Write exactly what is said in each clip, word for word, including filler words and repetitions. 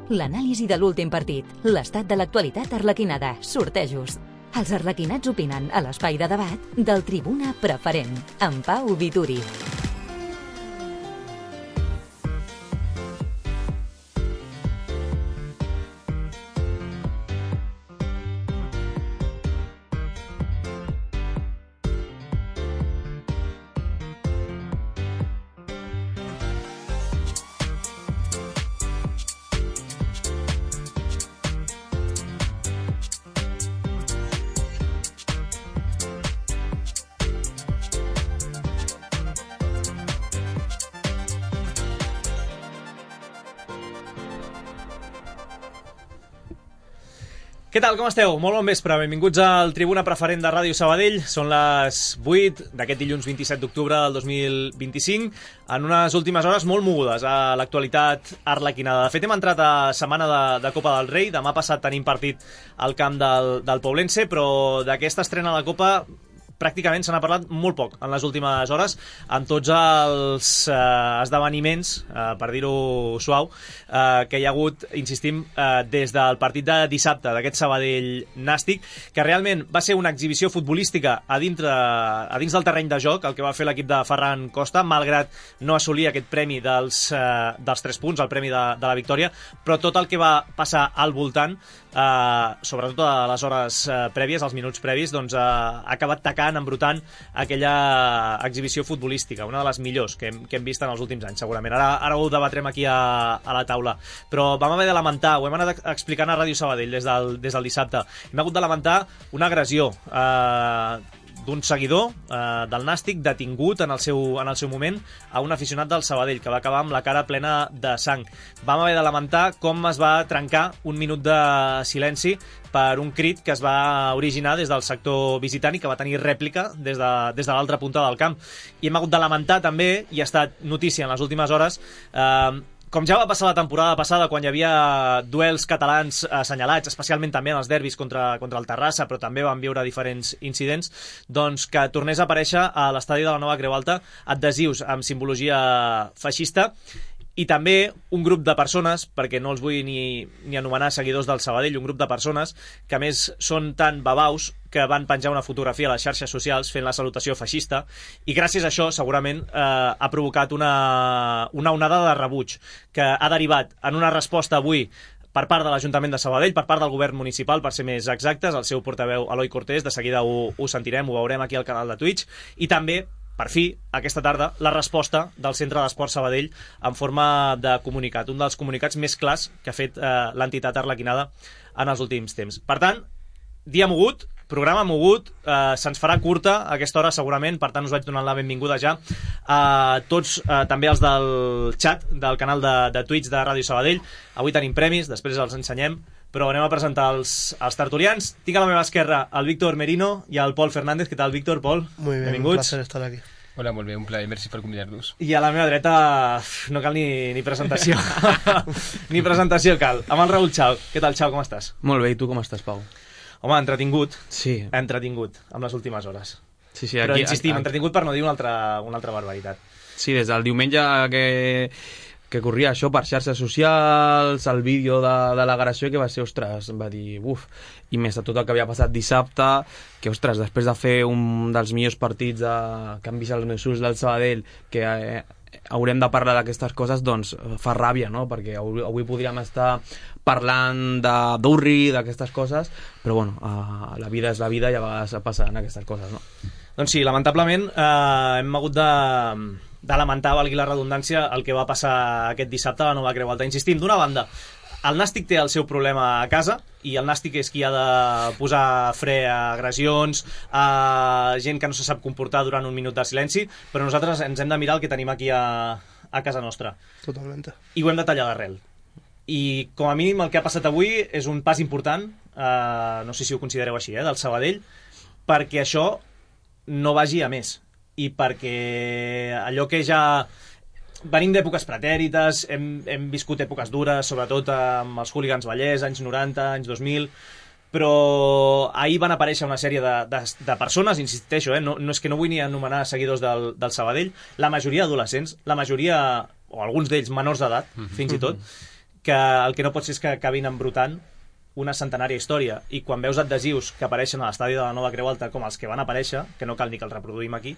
l'anàlisi de l'últim partit, l'estat de l'actualitat arlequinada, sortejos. Els arlequinats opinen a l'espai de debat del Tribuna Preferent, amb Pau Vituri. Què tal, com esteu? Molt bon vespre, benvinguts al Tribuna Preferent de Ràdio Sabadell. Són les vuit d'aquest dilluns vint-i-set d'octubre del dos mil vint-i-cinc, en unes últimes hores molt mogudes a l'actualitat arlequinada. De fet, hem entrat a setmana de, de Copa del Rei. Demà passat tenim partit al camp del, del Poblense, però d'aquesta estrena de la Copa pràcticament se n'ha parlat molt poc en les últimes hores, amb tots els eh, esdeveniments, eh, per dir-ho suau, eh, que hi ha hagut, insistim, eh, des del partit de dissabte d'aquest Sabadell Nàstic, que realment va ser una exhibició futbolística a, dintre, a dins del terreny de joc, el que va fer l'equip de Ferran Costa, malgrat no assolir aquest premi dels, eh, dels tres punts, el premi de, de la victòria, però tot el que va passar al voltant, eh, sobretot a les hores eh, prèvies, als minuts previs, doncs eh, ha acabat tacant, embrutant aquella exhibició futbolística, una de les millors que hem, que hem vist en els últims anys, segurament. Ara, ara ho debatrem aquí a, a la taula. Però vam haver de lamentar, ho hem anat explicant a Ràdio Sabadell des del, des del dissabte, hem hagut de lamentar una agressió eh, d'un seguidor eh, del Nàstic detingut en el, seu, en el seu moment a un aficionat del Sabadell, que va acabar amb la cara plena de sang. Vam haver de lamentar com es va trencar un minut de silenci per un crit que es va originar des del sector visitant i que va tenir rèplica des de, des de l'altra punta del camp. I hem hagut de lamentar també, i ha estat notícia en les últimes hores, eh, com ja va passar la temporada passada, quan hi havia duels catalans assenyalats, especialment també en els derbis contra, contra el Terrassa, però també van viure diferents incidents, doncs que tornés a aparèixer a l'estadi de la Nova Creu Alta adhesius amb simbologia feixista, i també un grup de persones, perquè no els vull ni, ni anomenar seguidors del Sabadell, un grup de persones que a més són tan babaus que van penjar una fotografia a les xarxes socials fent la salutació feixista, i gràcies a això segurament eh, ha provocat una, una onada de rebuig que ha derivat en una resposta avui per part de l'Ajuntament de Sabadell, per part del govern municipal, per ser més exactes, el seu portaveu Eloi Cortés, de seguida ho, ho sentirem, ho veurem aquí al canal de Twitch, i també per fi, aquesta tarda, la resposta del Centre d'Esport Sabadell en forma de comunicat, un dels comunicats més clars que ha fet eh, l'entitat arlequinada en els últims temps. Per tant, dia mogut, programa mogut, eh, se'ns farà curta a aquesta hora segurament, per tant us vaig donant la benvinguda ja a tots, eh, també els del xat del canal de, de Twitch de Ràdio Sabadell. Avui tenim premis, després els ensenyem, però anem a presentar els, els tertulians. Tinc a la meva esquerra el Víctor Merino i el Pol Fernández. Què tal, Víctor, Pol? Muy bien, benvinguts. un placer estar aquí. Hola, molt bé, un plaer, merci per convidar-nos. I a la meva dreta no cal ni, ni presentació. Ni presentació cal. Amb el Raül Chao. Què tal, Chao, com estàs? Molt bé, i tu com estàs, Pau? Home, entretingut. Sí. Entretingut, amb les últimes hores. Sí, sí, Però aquí, insistim, aquí, entretingut per no dir una altra, una altra barbaritat. Sí, des del diumenge que, que corria això per xarxes socials, el vídeo de, de l'agressió, que va ser, ostres, va dir, uf, i més de tot el que havia passat dissabte, que, ostres, després de fer un dels millors partits de, que han vist els meus ulls del Sabadell, que eh, haurem de parlar d'aquestes coses, doncs fa ràbia, no? Perquè avui, avui podríem estar parlant de d'Urri, d'aquestes coses, però bueno, uh, la vida és la vida i a vegades passen aquestes coses, no? Doncs sí, lamentablement eh, hem hagut de, de lamentar, valgui la redundància, el que va passar aquest dissabte a la Nova Creu Alta. Insistim, d'una banda, el Nàstic té el seu problema a casa i el Nàstic és qui ha de posar fre a agressions, a gent que no se sap comportar durant un minut de silenci, però nosaltres ens hem de mirar el que tenim aquí a, a casa nostra. Totalmente. I ho hem de tallar d'arrel. I com a mínim el que ha passat avui és un pas important, eh, no sé si ho considereu així, eh, del Sabadell, perquè això no vagi a més, i perquè allò que ja venim d'èpoques pretèrites, hem, hem viscut èpoques dures, sobretot amb els hooligans Vallès, anys noranta, anys dos mil, però ahir van aparèixer una sèrie de, de, de persones, insisteixo, eh, no, no és que no vull ni anomenar seguidors del, del Sabadell, la majoria adolescents, la majoria, o alguns d'ells menors d'edat, fins i tot, que el que no pot ser és que acabin embrutant una centenària història, i quan veus adhesius que apareixen a l'estadi de la Nova Creu Alta com els que van aparèixer, que no cal ni que els reproduïm aquí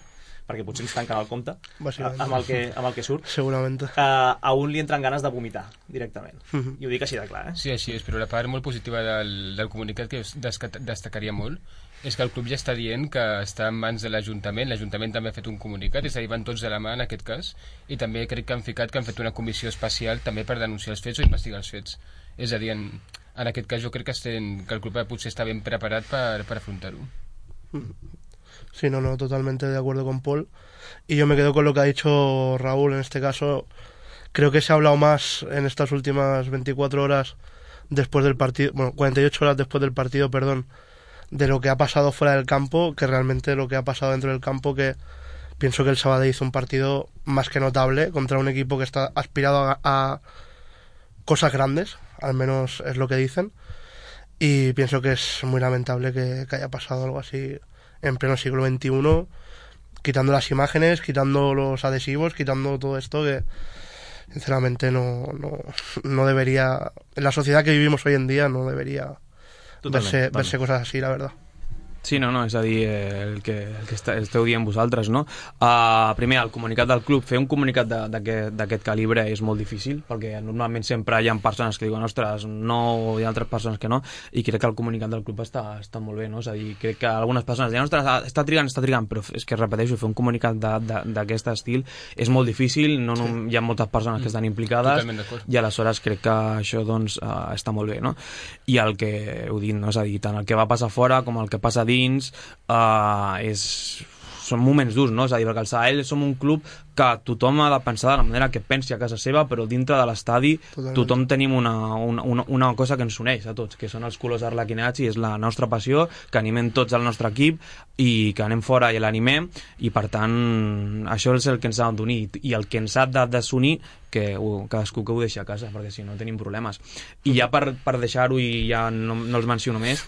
perquè potser ens tanquen el compte amb el que, amb el que surt, segurament uh, a un li entren ganes de vomitar directament, uh-huh. I ho dic així de clar, eh? Sí, així és, però la part molt positiva del, del comunicat que destacaria molt és que el club ja està dient que està en mans de l'Ajuntament. L'Ajuntament també ha fet un comunicat, és a dir, van tots de la mà en aquest cas, i també crec que han ficat que han fet una comissió especial també per denunciar els fets o investigar els fets. És a dir, en, en aquest cas jo crec que, estem, que el club potser està ben preparat per, per afrontar-ho. Sí, no, no, totalmente de acuerdo con Paul. Y yo me quedo con lo que ha dicho Raúl en este caso. Creo que se ha hablado más en estas últimas veinticuatro horas después del partido, bueno, cuarenta y ocho horas después del partido, perdón, de lo que ha pasado fuera del campo, que realmente lo que ha pasado dentro del campo, que pienso que el Sabadell hizo un partido más que notable contra un equipo que está aspirado a, a cosas grandes, al menos es lo que dicen, y pienso que es muy lamentable que, que haya pasado algo así en pleno siglo veintiuno, quitando las imágenes, quitando los adhesivos, quitando todo esto que sinceramente no, no, no debería, en la sociedad que vivimos hoy en día no debería verse, verse cosas así, la verdad. Sí, no, no, és a dir, el que, el que esteu dient vosaltres, no? Uh, primer, el comunicat del club, fer un comunicat d'aquest calibre és molt difícil, perquè normalment sempre hi ha persones que diuen, ostres, no, hi ha altres persones que no, i crec que el comunicat del club està, està molt bé, no? És a dir, crec que algunes persones diuen, ostres, està trigant, està trigant, però és que, repeteixo, fer un comunicat d'aquest estil és molt difícil, no, no, hi ha moltes persones que estan implicades, i aleshores crec que això, doncs, uh, està molt bé, no? I el que heu dit, no? És a dir, tant el que va passar fora com el que passa dins, uh, és, són moments durs, no? És a dir, perquè el Sabadell som un club que tothom ha de pensar de la manera que pensi a casa seva, però dintre de l'estadi tothom tenim una, una, una, una cosa que ens uneix a tots, que són els colors arlequinats, i és la nostra passió, que animem tots al nostre equip i que anem fora i l'animem, i per tant això és el que ens ha d'unir, i el que ens ha de desunir, que uh, cadascú que ho deixi a casa, perquè si no tenim problemes. I ja per, per deixar-ho, i ja no, no els menciono més,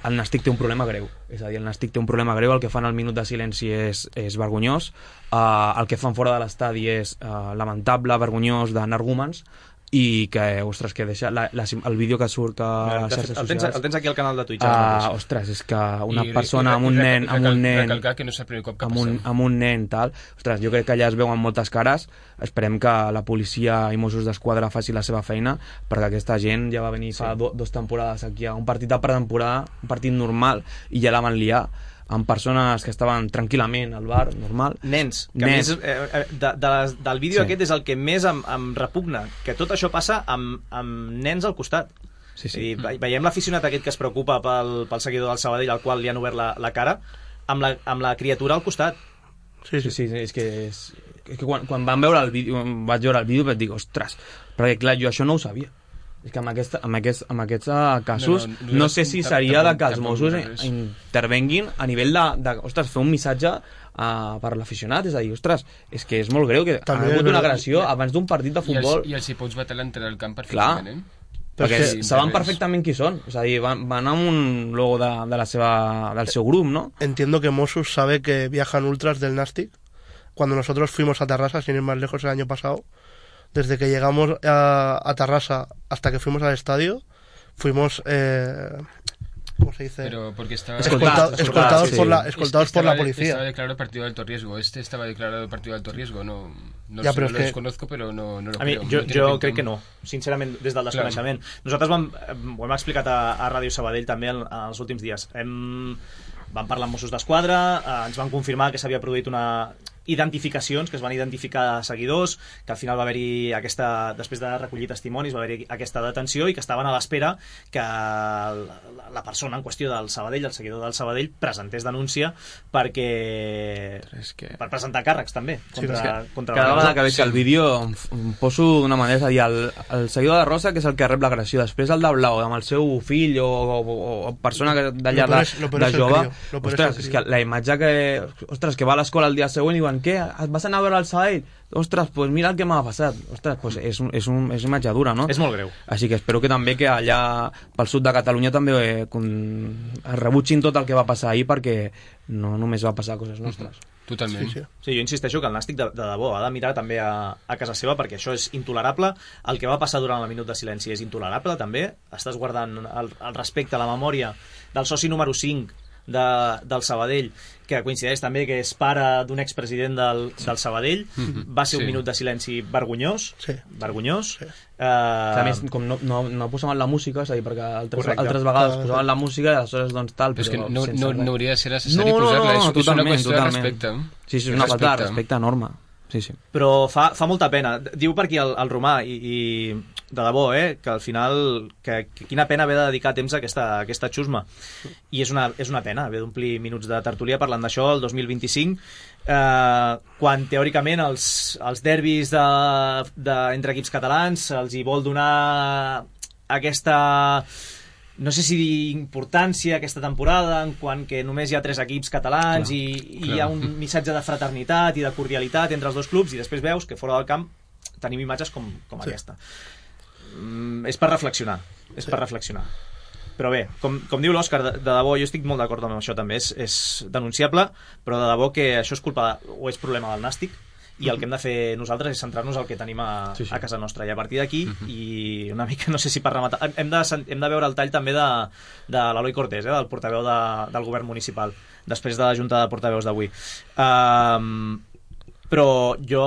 el Nàstic té un problema greu, és a dir, el Nàstic té un problema greu, el que fan al minut de silenci és, és vergonyós, uh, el que fan fora de l'estadi és uh, lamentable, vergonyós, d'energúmens, i que, ostres, que deixa la, la, el vídeo que surt a les xarxes el, tens, socials... el tens aquí al canal de Twitch. Uh, ostres, és que una I, persona i, amb un i, nen... Amb un nen recalcar que no és el primer cop que amb un, amb un nen, tal... Ostres, jo crec que allà es veuen moltes cares. Esperem que la policia i Mossos d'Esquadra faci la seva feina, perquè aquesta gent ja va venir fa sí. do, dos temporades aquí a un partit de pretemporada, un partit normal, i ja la van liar amb persones que estaven tranquil·lament al bar, normal. Nens, que Nens. A més, eh, de, de les, del vídeo sí. aquest és el que més em, em repugna, que tot això passa amb, amb nens al costat. Sí, sí. I ve, veiem l'aficionat aquest que es preocupa pel, pel seguidor del Sabadell, al qual li han obert la, la cara, amb la, amb la criatura al costat. Sí, sí, sí, sí és que, és, és que quan, quan vam veure el vídeo, vaig veure el vídeo vaig dir, ostres, perquè clar, jo això no ho sabia. És que amb, aquesta, amb, aquests, amb aquests casos no, no, no, no sé si seria de que els Mossos intervenguin a nivell de, de ostres, fer un missatge uh, per l'aficionat, és a dir, ostres, és que és molt greu que ha hagut una agressió abans d'un partit de futbol. I els hi pots batre l'entrada al camp perfectament, eh? Perquè sí, saben perfectament qui són, és a dir, van, van amb un logo de, de la seva, del seu grup, ¿no? Entiendo que Mossos sabe que viajan ultras del Nàstic. Cuando nosotros fuimos a Tarrasa, sin ir más lejos el año pasado, desde que llegamos a, a Tarrasa hasta que fuimos al estadio, fuimos, eh, ¿cómo se dice? Pero porque estaba escoltados, escoltados, sí. por, la, escoltados este por la policía. Estaba declarado partido de alto riesgo. Este estaba declarado partido de alto riesgo. No, no ja, sé, no lo que... desconozco, però no, no lo a mi, creo. Jo, no jo crec que no, sincerament, des del desconeixement. Clar. Nosaltres vam, ho hem explicat a, a Ràdio Sabadell també en, en els últims dies. Hem, vam parlar amb Mossos d'Esquadra, eh, ens van confirmar que s'havia produït una identificacions, que es van identificar seguidors, que al final va haver-hi aquesta, després de recollir testimonis, va haver-hi aquesta detenció i que estaven a l'espera que la, la persona en qüestió del Sabadell, el seguidor del Sabadell, presentés denúncia perquè és que... per presentar càrrecs també contra, sí, que contra cada vegada que veig el vídeo em, em poso d'una manera, és a dir, el, el seguidor de Rosa, que és el que rep l'agressió, després el de Blau amb el seu fill o, o, o persona d'allà de, de jove, ostres, és que la imatge que ostres, que va a l'escola el dia següent i diuen, què? Vas anar a veure el Sabadell? Ostres, pues mira el que m'ha passat. Ostres, pues és, un, és, un, és una imatge dura, no? És molt greu. Així que espero que també que allà pel sud de Catalunya també eh, con... rebutgin tot el que va passar ahir, perquè no només va passar coses nostres. Totalment. Sí, sí. Sí, jo insisteixo que el Nàstic de, de debò ha de mirar també a, a casa seva, perquè això és intolerable. El que va passar durant el minut de silenci és intolerable també. Estàs guardant el, el respecte a la memòria del soci número cinc de, del Sabadell, que coincideix també que és pare d'un expresident del, del Sabadell. Mm-hmm. Va ser un Sí. minut de silenci vergonyós, Sí. vergonyós. Sí. Eh, A més, com no, no, no posaven la música, és a dir, perquè altres, Correcte. altres vegades Clar, posaven la música i aleshores doncs tal, Però és però que no, sense no, res. no hauria de ser necessari No, no, posar-la, no, és, és una totalment, qüestió totalment. de respecte. Sí, sí, és una falta de respecte enorme. Sí, sí. Però fa, fa molta pena. Diu per aquí el, el Romà, i, i de debò, eh, que al final que, que quina pena haver de dedicar temps a aquesta, a aquesta xusma. I és una, és una pena haver d'omplir minuts de tertúlia parlant d'això el dos mil vint-i-cinc, eh, quan teòricament els, els derbis de, de, entre equips catalans els hi vol donar aquesta, no sé si dir importància aquesta temporada, en quant que només hi ha tres equips catalans. Clar, i, i hi ha un missatge de fraternitat i de cordialitat entre els dos clubs, i després veus que fora del camp tenim imatges com, com sí. aquesta. Mm, és per reflexionar, és sí. per reflexionar. Però bé, com, com diu l'Òscar, de, de debò, jo estic molt d'acord amb això també, és, és denunciable, però de debò que això és culpa o és problema del Nàstic, i el que hem de fer nosaltres és centrar-nos al que tenim a, sí, sí. a casa nostra, i a partir d'aquí, uh-huh. i una mica, no sé si per rematar, hem de, hem de veure el tall també de, de l'Eloi Cortés, eh, del portaveu de, del govern municipal, després de la junta de portaveus d'avui. Um, però jo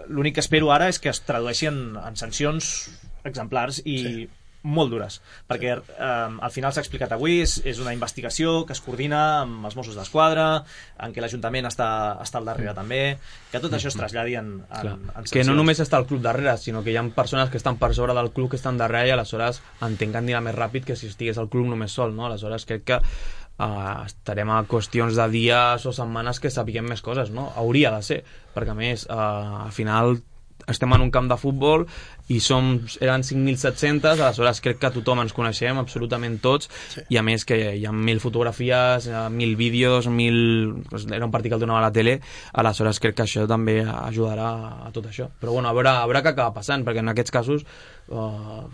l'únic que espero ara és que es tradueixi en, en sancions exemplars i sí. molt dures, perquè eh, al final s'ha explicat avui, és, és una investigació que es coordina amb els Mossos d'Esquadra, en què l'Ajuntament està, està al darrere també, que tot això es traslladi en, en, en sancions. Que no només està el club darrere, sinó que hi ha persones que estan per sobre del club que estan darrere, i aleshores entenc que anirà més ràpid que si estigués el club només sol, no? Aleshores crec que uh, estarem a qüestions de dies o setmanes que sapiguem més coses, no? Hauria de ser, perquè a més uh, al final estem en un camp de futbol i som, eren cinc mil set-cents, aleshores crec que tothom ens coneixem, absolutament tots, sí. i a més que hi ha mil fotografies, mil vídeos, mil... era un partit que el donava a la tele, aleshores crec que això també ajudarà a tot això. Però bueno, a veure, a veure què acaba passant, perquè en aquests casos uh,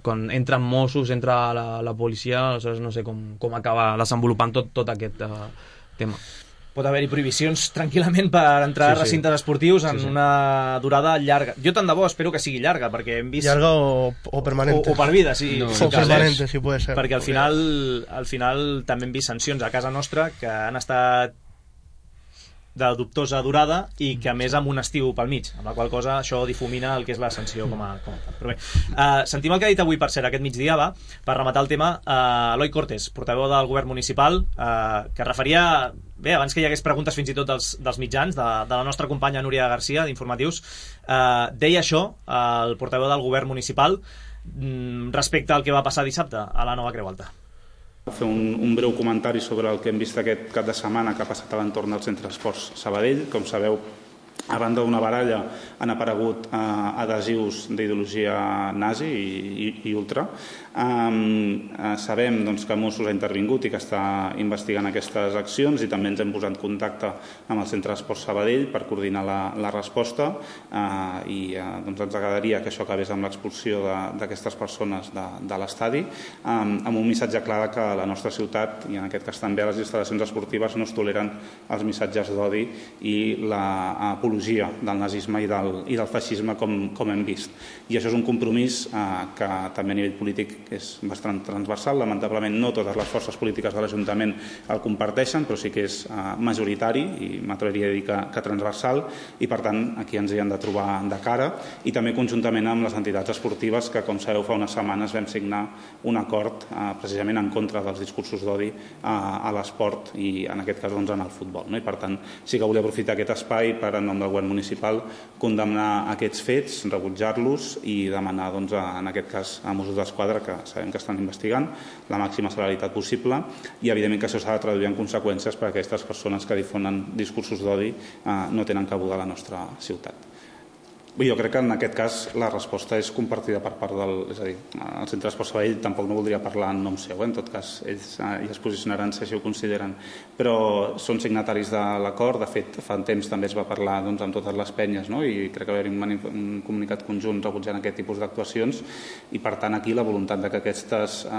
quan entren Mossos, entra la, la policia, aleshores no sé com, com acaba desenvolupant tot, tot aquest uh, tema. Pot haver-hi prohibicions tranquil·lament per entrar sí, a recintes sí. esportius en sí, sí. una durada llarga. Jo tant de bo espero que sigui llarga, perquè hem vist... Llarga o, o permanente. O, o per vida, sí. No, sí o permanente, si puede ser. Perquè al final, al final també hem vist sancions a casa nostra que han estat de dubtosa durada i que a més amb un estiu pel mig, amb la qual cosa això difumina el que és la sanció com a, com a tal. Però bé, uh, sentim el que ha dit avui, per cert, aquest migdia, va, per rematar el tema, uh, Eloi Cortés, portaveu del govern municipal, uh, que referia, bé, abans que hi hagués preguntes fins i tot dels, dels mitjans, de, de la nostra companya Núria Garcia, d'Informatius, uh, deia això, uh, el portaveu del govern municipal, mm, respecte al que va passar dissabte a la Nova Creu Alta. Fer un, un breu comentari sobre el que hem vist aquest cap de setmana que ha passat a l'entorn del Centre Esports Sabadell. Com sabeu, a banda d'una baralla han aparegut eh, adhesius d'ideologia nazi i, i, i ultra. Um, eh, sabem doncs, que Mossos ha intervingut i que està investigant aquestes accions, i també ens hem posat en contacte amb el Centre d'Esports Sabadell per coordinar la, la resposta, uh, i uh, doncs ens agradaria que això acabés amb l'expulsió d'aquestes persones de, de l'estadi, um, amb un missatge clar que a la nostra ciutat, i en aquest cas també a les instal·lacions esportives, no es toleren els missatges d'odi i l'apologia del nazisme i del, i del feixisme com, com hem vist. I això és un compromís uh, que també a nivell polític és bastant transversal. Lamentablement no totes les forces polítiques de l'Ajuntament el comparteixen, però sí que és uh, majoritari, i m'atreviria a dir que, que transversal, i per tant aquí ens hi hem de trobar de cara, i també conjuntament amb les entitats esportives que, com sabeu, fa unes setmanes vam signar un acord uh, precisament en contra dels discursos d'odi uh, a l'esport, i en aquest cas doncs, en el futbol, no? I per tant sí que volia aprofitar aquest espai per, en nom del govern municipal, condemnar aquests fets, rebutjar-los i demanar doncs, a, en aquest cas a Mossos d'Esquadra, que sabem que estan investigant, la màxima celeritat possible, i evidentment que això s'ha de traduir en conseqüències perquè aquestes persones que difonen discursos d'odi eh, no tenen cabuda a la nostra ciutat. Jo crec que en aquest cas la resposta és compartida per part del... És a dir, el Centre d'Esports Sabadell tampoc no voldria parlar en nom seu, eh? En tot cas, ells ja es posicionaran si així ho consideren. Però són signataris de l'acord, de fet, fa un temps també es va parlar doncs, amb totes les penyes, no? I crec que va haver un, un comunicat conjunt rebutjant aquest tipus d'actuacions i, per tant, aquí la voluntat de que aquestes eh,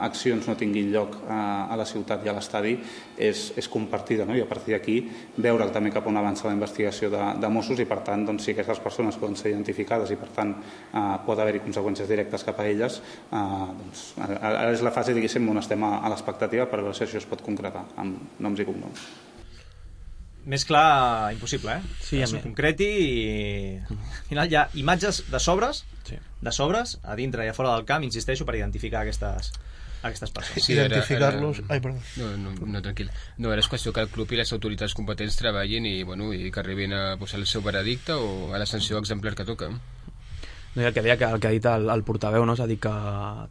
accions no tinguin lloc eh, a la ciutat i a l'estadi és, és compartida, no? I a partir d'aquí veure també cap on avança la investigació de, de Mossos i, per tant, doncs, si aquestes persones poden ser identificades i, per tant, eh, pot haver-hi conseqüències directes cap a elles, eh, doncs, ara és la fase, diguéssim, on estem a, a l'expectativa per veure si això es pot concretar amb noms i cognoms. Més clar, impossible, eh? Sí, que s'ho concreti i... Al final hi ha imatges de sobres, sí. de sobres, a dintre i a fora del camp, insisteixo, per identificar aquestes... aquestes persones. Sí, identificar-los... Ai, perdó. No, no, no, tranquil. No, ara és qüestió que el club i les autoritats competents treballin i, bueno, i que arribin a posar el seu veredicte o a la sanció exemplar que toca. No, el que deia que el que ha dit el, el portaveu, no? S'ha dit que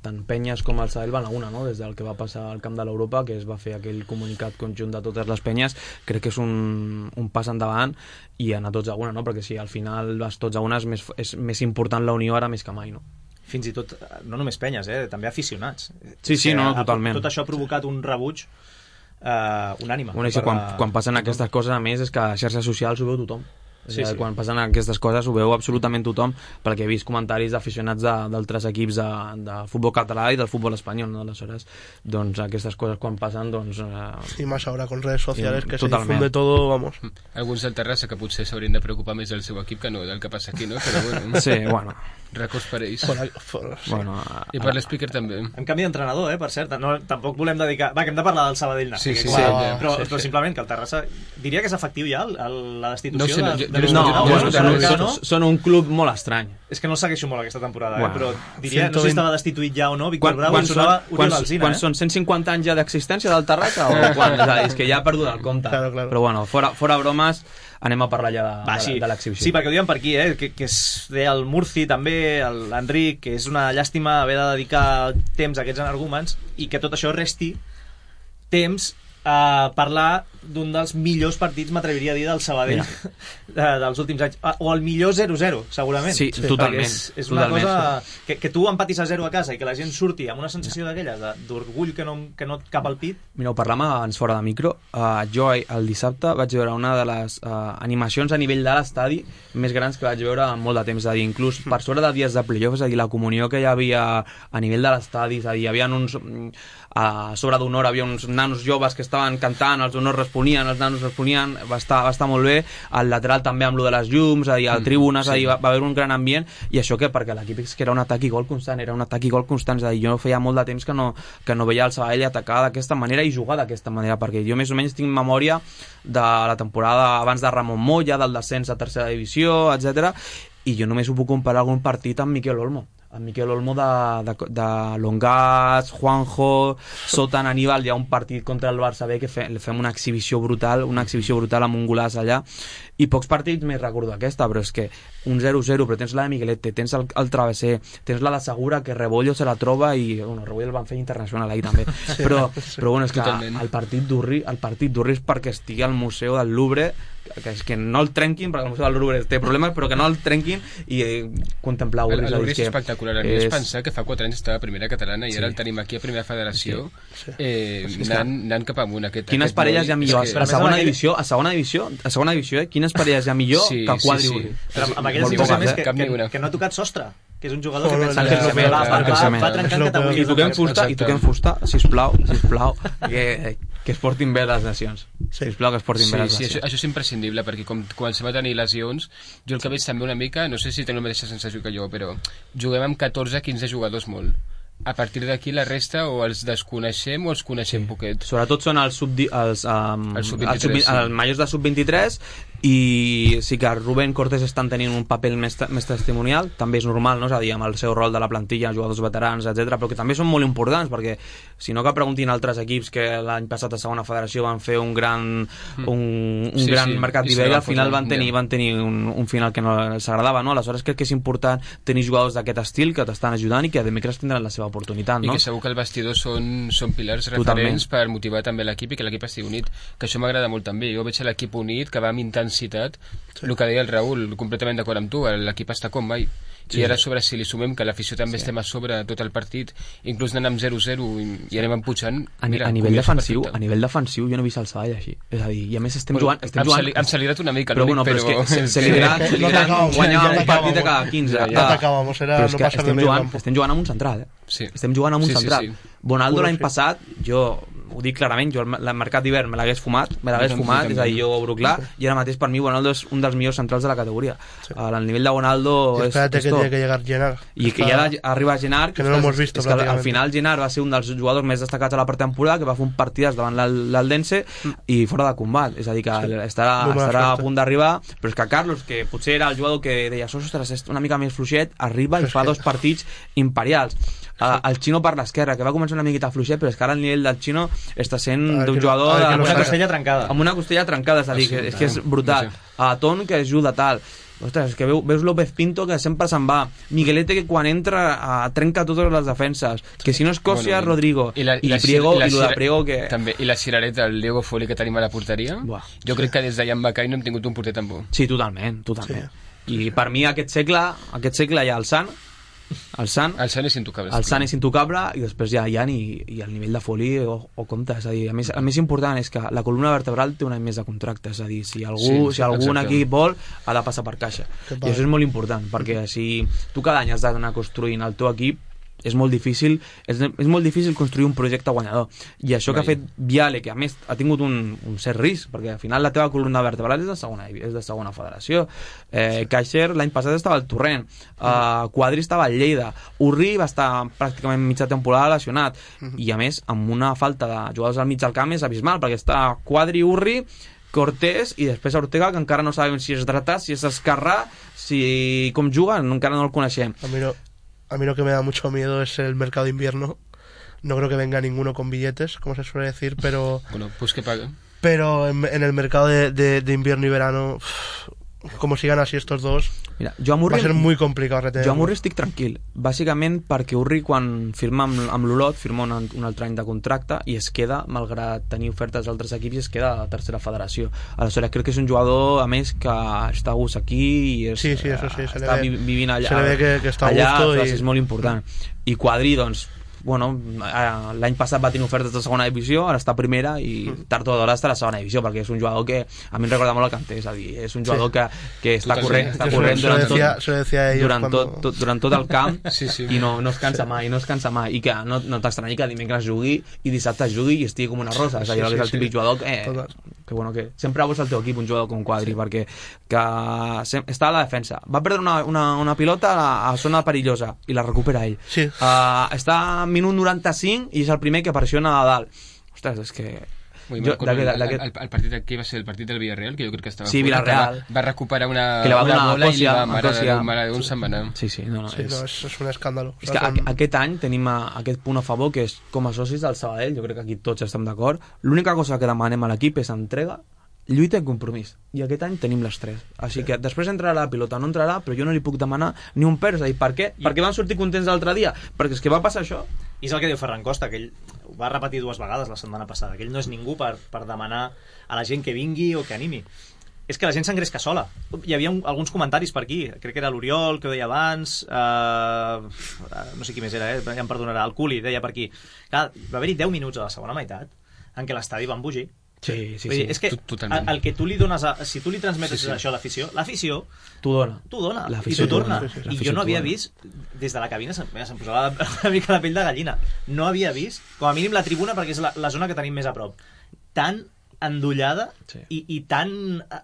tant Penyes com el Sabadell van a una, no? Des del que va passar al camp de l'Europa, que es va fer aquell comunicat conjunt de totes les penyes, crec que és un, un pas endavant i anar tots a una, no? Perquè si al final vas tots a una és més, és més important la unió ara més que mai, no? Fins i tot, no només penyes, eh? També aficionats. Sí, sí, no, totalment. Tot això ha provocat un rebuig eh, unànime. Bueno, i quan, quan passen aquestes coses, a més, és que a xarxes socials ho veu tothom. Sí, sí. Quan passen aquestes coses ho veu absolutament tothom, perquè he vist comentaris d'aficionats d'altres equips de, de futbol català i del futbol espanyol, no? Aleshores, doncs aquestes coses quan passen, doncs... Eh... Sí, más ahora con redes sociales sí, que totalment. Se difunde todo, vamos. Alguns del Terrassa que potser s'haurien de preocupar més del seu equip que no del que passa aquí, no? Però bueno... Sí, bueno... Records per ells. For, for, sí. Bueno, I per l'Speaker també. En canvi d'entrenador, eh, per cert. No, tampoc volem dedicar... Va, que hem de parlar del Sabadell Nàstic. Sí, sí, sí, sí, però, sí, sí. però simplement que el Terrassa... Diria que és efectiu ja el, el, la destitució no sé, no, de, jo, de no, no, no, no, no, no, són un club molt estrany. És que no el segueixo molt aquesta temporada, bueno, eh, però diria, no sé si estava destituït ja o no, Víctor quan, Bravo, quan, i sonava Oriol Alsina. Quan eh? són cent cinquanta anys ja d'existència del Terrassa o quan? És, dir, és que ja ha perdut el compte. Claro, claro. Però bueno, fora, fora bromes, anem a parlar ja de, Va, de, sí. de l'exhibició. Sí, perquè ho diuen per aquí, eh? que, que es deia el Murci també, l'Enric, que és una llàstima haver de dedicar temps a aquests energúmens i que tot això resti temps a parlar d'un dels millors partits, m'atreviria a dir, del Sabadell de, dels últims anys, o el millor zero zero segurament. Sí, sí, totalment. És, és una totalment. cosa que, que tu empatis a zero a casa i que la gent surti amb una sensació d'aquelles d'orgull que no, que no et cap al pit. Mira, ho parlàvem abans fora de micro. Uh, jo el dissabte vaig veure una de les uh, animacions a nivell de l'estadi més grans que vaig veure en molt de temps, és a dir, inclús per sobre de dies de playoff, és a dir, la comunió que hi havia a nivell de l'estadi, és a dir, hi havia uns... a sobre d'una hora havia uns nanos joves que estaven cantant, els honors responien, els nanos responien, va estar, va estar molt bé, al lateral també amb lo de les llums, a dir, al tribunes, mm, sí. a dir, va, va haver un gran ambient, i això que perquè l'equip és que era un atac i gol constant, era un atac i gol constant, és a dir, jo feia molt de temps que no, que no veia el Sabadell atacar d'aquesta manera i jugar d'aquesta manera, perquè jo més o menys tinc memòria de la temporada abans de Ramon Moya, del descens a tercera divisió, etcètera, i jo només ho puc comparar algun partit amb Miquel Olmo. En Miquel Olmo de, de, de Longats, Juanjo, Sotan, Aníbal, hi ha un partit contra el Barça B que fe, fem una exhibició brutal, una exhibició brutal amb un golaç allà, i pocs partits més recordo aquesta, però és que un zero zero, però tens la de Miguelete, tens el, el Travesser, tens la de Segura, que Rebollo se la troba, i bueno, Rebollo el van fer internacional ahir també, sí, però, sí. però bueno, és que Totalment. el partit d'Urri, el partit d'Urri és perquè estigui al Museu del Louvre, que és que no el trenquin, perquè el Museu del Louvre té problemes, però que no el trenquin i eh, contemplar Urri. El Louvre és espectacular. A mi és... és pensar que fa quatre anys estava a primera catalana i sí. ara el tenim aquí a primera federació, sí. eh, sí, anant, anant cap amunt. Aquest, quines aquest parelles hi ha millor? que... A segona divisió, a segona divisió, a segona divisió, eh? Quines parelles hi ha millor sí, que quadri Urri? Sí, sí. Però amb aquelles divisions més que, que, que no ha tocat sostre, que és un jugador que pensa que va, va, va, va trencant categories. I toquem fusta, i toquem fusta, sisplau, sisplau, que, que es portin bé les nacions. Sisplau, que es portin sí, bé les sí, nacions. Això, això és imprescindible, perquè com comencem a tenir lesions, jo el que veig també una mica, no sé si teniu la mateixa sensació que jo, però juguem amb catorze quinze jugadors molt. A partir d'aquí la resta o els desconeixem o els coneixem sí. poquet. Sobretot són els sub els, um, el sub vint-i-tres, els, sub, sí. els majors de sub vint-i-tres, i sí que Rubén Cortés estan tenint un paper més, més testimonial, també és normal, no? És a dir, amb el seu rol de la plantilla, jugadors veterans, etcètera, però que també són molt importants, perquè si no que preguntin altres equips que l'any passat a segona federació van fer un gran un, un sí, gran sí. mercat d'hivern i al final van tenir, van tenir un, un final que no els agradava, no? Aleshores crec que és important tenir jugadors d'aquest estil que t'estan ajudant i que a dimecres tindran la seva oportunitat, no? I que segur que el vestidor són, són pilars referents Totalment. per motivar també l'equip i que l'equip estigui unit, que això m'agrada molt també. Jo veig l'equip unit, que va mintant intensitat, el que deia el Raül, completament d'acord amb tu, l'equip està com mai. I ara sobre si li sumem que l'afició també estem a sobre tot el partit, inclús anem amb zero zero i anem empujant, a, mira, a nivell defensiu, a nivell defensiu jo no he vist el Sabadell així, és a dir, i a més estem jugant, estem jugant, hem salidat una mica, però bueno, però és que se li dirà guanyar un partit de cada quinze, no t'acabamos, era no passar de medio campo. Estem jugant amb un central, eh? Estem jugant amb un central. Bonaldo l'any passat, jo ho dic clarament, jo el mercat d'hivern me l'hagués fumat, me l'hagués fumat, és a dir, jo ho obro clar, i ara mateix per mi Bonaldo és un dels millors centrals de la categoria. El nivell de Bonaldo és tot. Espérate que tiene que llegar Genard. I que ja arriba Genard, que no lo hemos visto prácticamente. Al final Genard va ser un dels jugadors més destacats a la pretemporada, que va fer un partidàs davant l'Aldense i fora de combat, és a dir, que estarà a punt d'arribar, però és que Carlos, que potser era el jugador que deia, ostres, és una mica més fluixet, arriba i fa dos partits imperials. Uh, el Xino per l'esquerra, que va començar una miqueta fluixet, però és que ara el nivell del Xino està sent ah, d'un jugador ah, amb una costella trencada amb una costella trencada, és a dir, que, és, que és brutal. A uh, Ton, que ajuda tal. Ostres, és que veu, veus López Pinto, que sempre se'n va. Miguelete, que quan entra uh, trenca totes les defenses. Que si no és Cosia, bueno, Rodrigo. I, la, i, la, Priego, i, la, i lo de Priego, que... També, i la cirereta, el Diego Foli, que tenim a la porteria. Buah, jo sí. crec que des d'allà en Bacai no hem tingut un porter tan bo. Sí, totalment, totalment. Sí. I per mi aquest segle, aquest segle hi ha el Sant, el Sant, el Sant és intocable, el Sant és intocable i després ja hi ha i, i el nivell de Foli o, o compte, és a dir, a més, el més important és que la columna vertebral té un any més de contracte, és a dir, si algú, sí, si algun exacte. Equip vol ha de passar per caixa, i això és molt important perquè si tu cada any has d'anar construint el teu equip és molt difícil, és, és molt difícil construir un projecte guanyador, i això que ha fet Viale, que a més ha tingut un, un cert risc, perquè al final la teva columna vertebral és de segona, és de segona federació. eh, Caixer l'any passat estava al Torrent, eh, Quadri estava al Lleida, Urri va estar pràcticament mitja temporada lesionat, i a més amb una falta de jugadors al mig del camp és abismal, perquè està Quadri, Urri, Cortés i després Ortega, que encara no sabem si és dretà, si és esquerrà, si com juga, encara no el coneixem. A mi no A mí lo que me da mucho miedo es el mercado de invierno. No creo que venga ninguno con billetes, como se suele decir, pero... Bueno, pues que pague. Pero en, en el mercado de, de, de invierno y verano, uff, como sigan así estos dos, mira, jo a Murri, va a ser muy complicado retener. Jo a Murri estic tranquil, bàsicament perquè Urri quan firma amb, amb l'Olot firma un, un altre any de contracte i es queda, malgrat tenir ofertes d'altres equips, i es queda a la tercera federació. Aleshores crec que és un jugador a més que està a gust aquí i és, sí, sí, eso sí, se està le ve, vivint allà, se le ve que, que està a allà, gusto i... és molt important. I Quadri, doncs bueno, l'any passat va tenir ofertes de segona divisió, ara està a primera i tard o d'hora està a la segona divisió, perquè és un jugador que a mi em recorda molt el Kanté, és a dir, és un jugador sí. que, que està corrent, està corrent durant, decía, tot, durant, cuando... tot, tot, durant tot el camp sí, sí. i no, no es cansa sí. mai, no es cansa mai, i que no, no t'estranyi que dimecres jugui i dissabte jugui i estigui com una rosa, és a dir, sí, sí, que és el típic sí. jugador que, eh, que, bueno, que sempre vols al teu equip un jugador com Quadri, sí. perquè que està a la defensa, va perdre una, una, una pilota a, a zona perillosa i la recupera ell, sí. uh, està a minut noranta-cinc i és el primer que pressiona a dalt. Ostres, és que... Ui, jo, el, el, el, el partit aquí va ser el partit del Villarreal, que jo crec que estava sí, fora, Villarreal. Va, va recuperar una, que va una bola Cosia, i li va mare, Cosia. mare d'un se'n va anar. Sí, sí, no, no, sí, és... no és, és un escàndalo. És que a, aquest any tenim a, aquest punt a favor, que és com a socis del Sabadell, jo crec que aquí tots estem d'acord, l'única cosa que demanem a l'equip és entrega, lluita i compromís, i aquest any tenim les tres, així sí. que després entrarà la pilota, no entrarà, però jo no li puc demanar ni un per, és a dir, per què? I... perquè van sortir contents l'altre dia, perquè és que va passar això. I és el que diu Ferran Costa, que ell ho va repetir dues vegades la setmana passada, que ell no és ningú per, per demanar a la gent que vingui o que animi. És que la gent s'engresca sola. Hi havia un, alguns comentaris per aquí, crec que era l'Oriol, que ho deia abans, eh, no sé qui més era, eh? Ja em perdonarà, el Culi deia per aquí. Clar, va haver-hi deu minuts a la segona meitat en què l'estadi va embogir. Sí, sí, sí. És que el, el que tu li dones a, si tu li transmetes sí, sí. això a l'afició, l'afició t'ho dona, t'ho dona i t'ho torna. Sí, sí, sí. I jo no havia vist, des de la cabina se'm, se'm posava una mica la pell de gallina, no havia vist, com a mínim la tribuna, perquè és la, la zona que tenim més a prop, tan endollada sí. i, i tan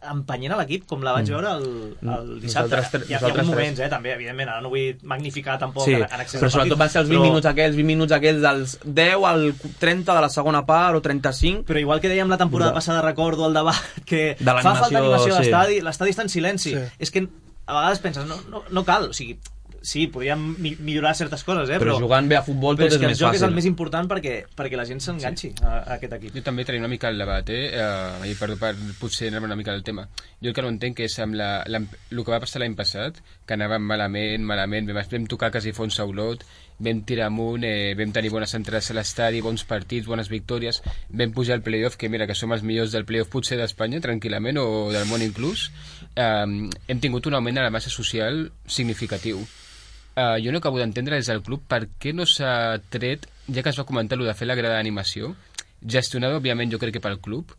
empenyent a l'equip com la vaig veure el, el dissabte. Nosaltres, hi ha, hi ha alguns moments, eh, també, evidentment, ara no vull magnificar tampoc sí, en, en accés però sobretot van ser els vint però... minuts aquells, vint minuts aquells dels deu al trenta de la segona part o trenta-cinc. Però igual que dèiem la temporada passada, recordo el debat, que de fa falta animació a l'estadi, sí. l'estadi està en silenci. Sí. És que a vegades penses, no, no, no cal, o sigui, sí, podríem mi millorar certes coses, eh? Però, però jugant bé a futbol tot és, és més fàcil. Però és que el joc és el més important perquè, perquè la gent s'enganxi sí. a, a aquest equip. Jo també tenia una mica el debat, eh? Uh, I per, per potser anar una mica del tema. Jo el que no entenc és amb la, la, el que va passar l'any passat, que anàvem malament, malament, vam tocar quasi fons a Olot, vam tirar amunt, eh, vam tenir bones entrades a l'estadi, bons partits, bones victòries, vam pujar al playoff, que mira, que som els millors del playoff potser d'Espanya, tranquil·lament, o del món inclús. Eh, hem tingut un augment a la massa social significatiu. Eh, jo no acabo d'entendre des del club per què no s'ha tret, ja que es va comentar allò de fer la grada d'animació, gestionada, òbviament, jo crec que pel club.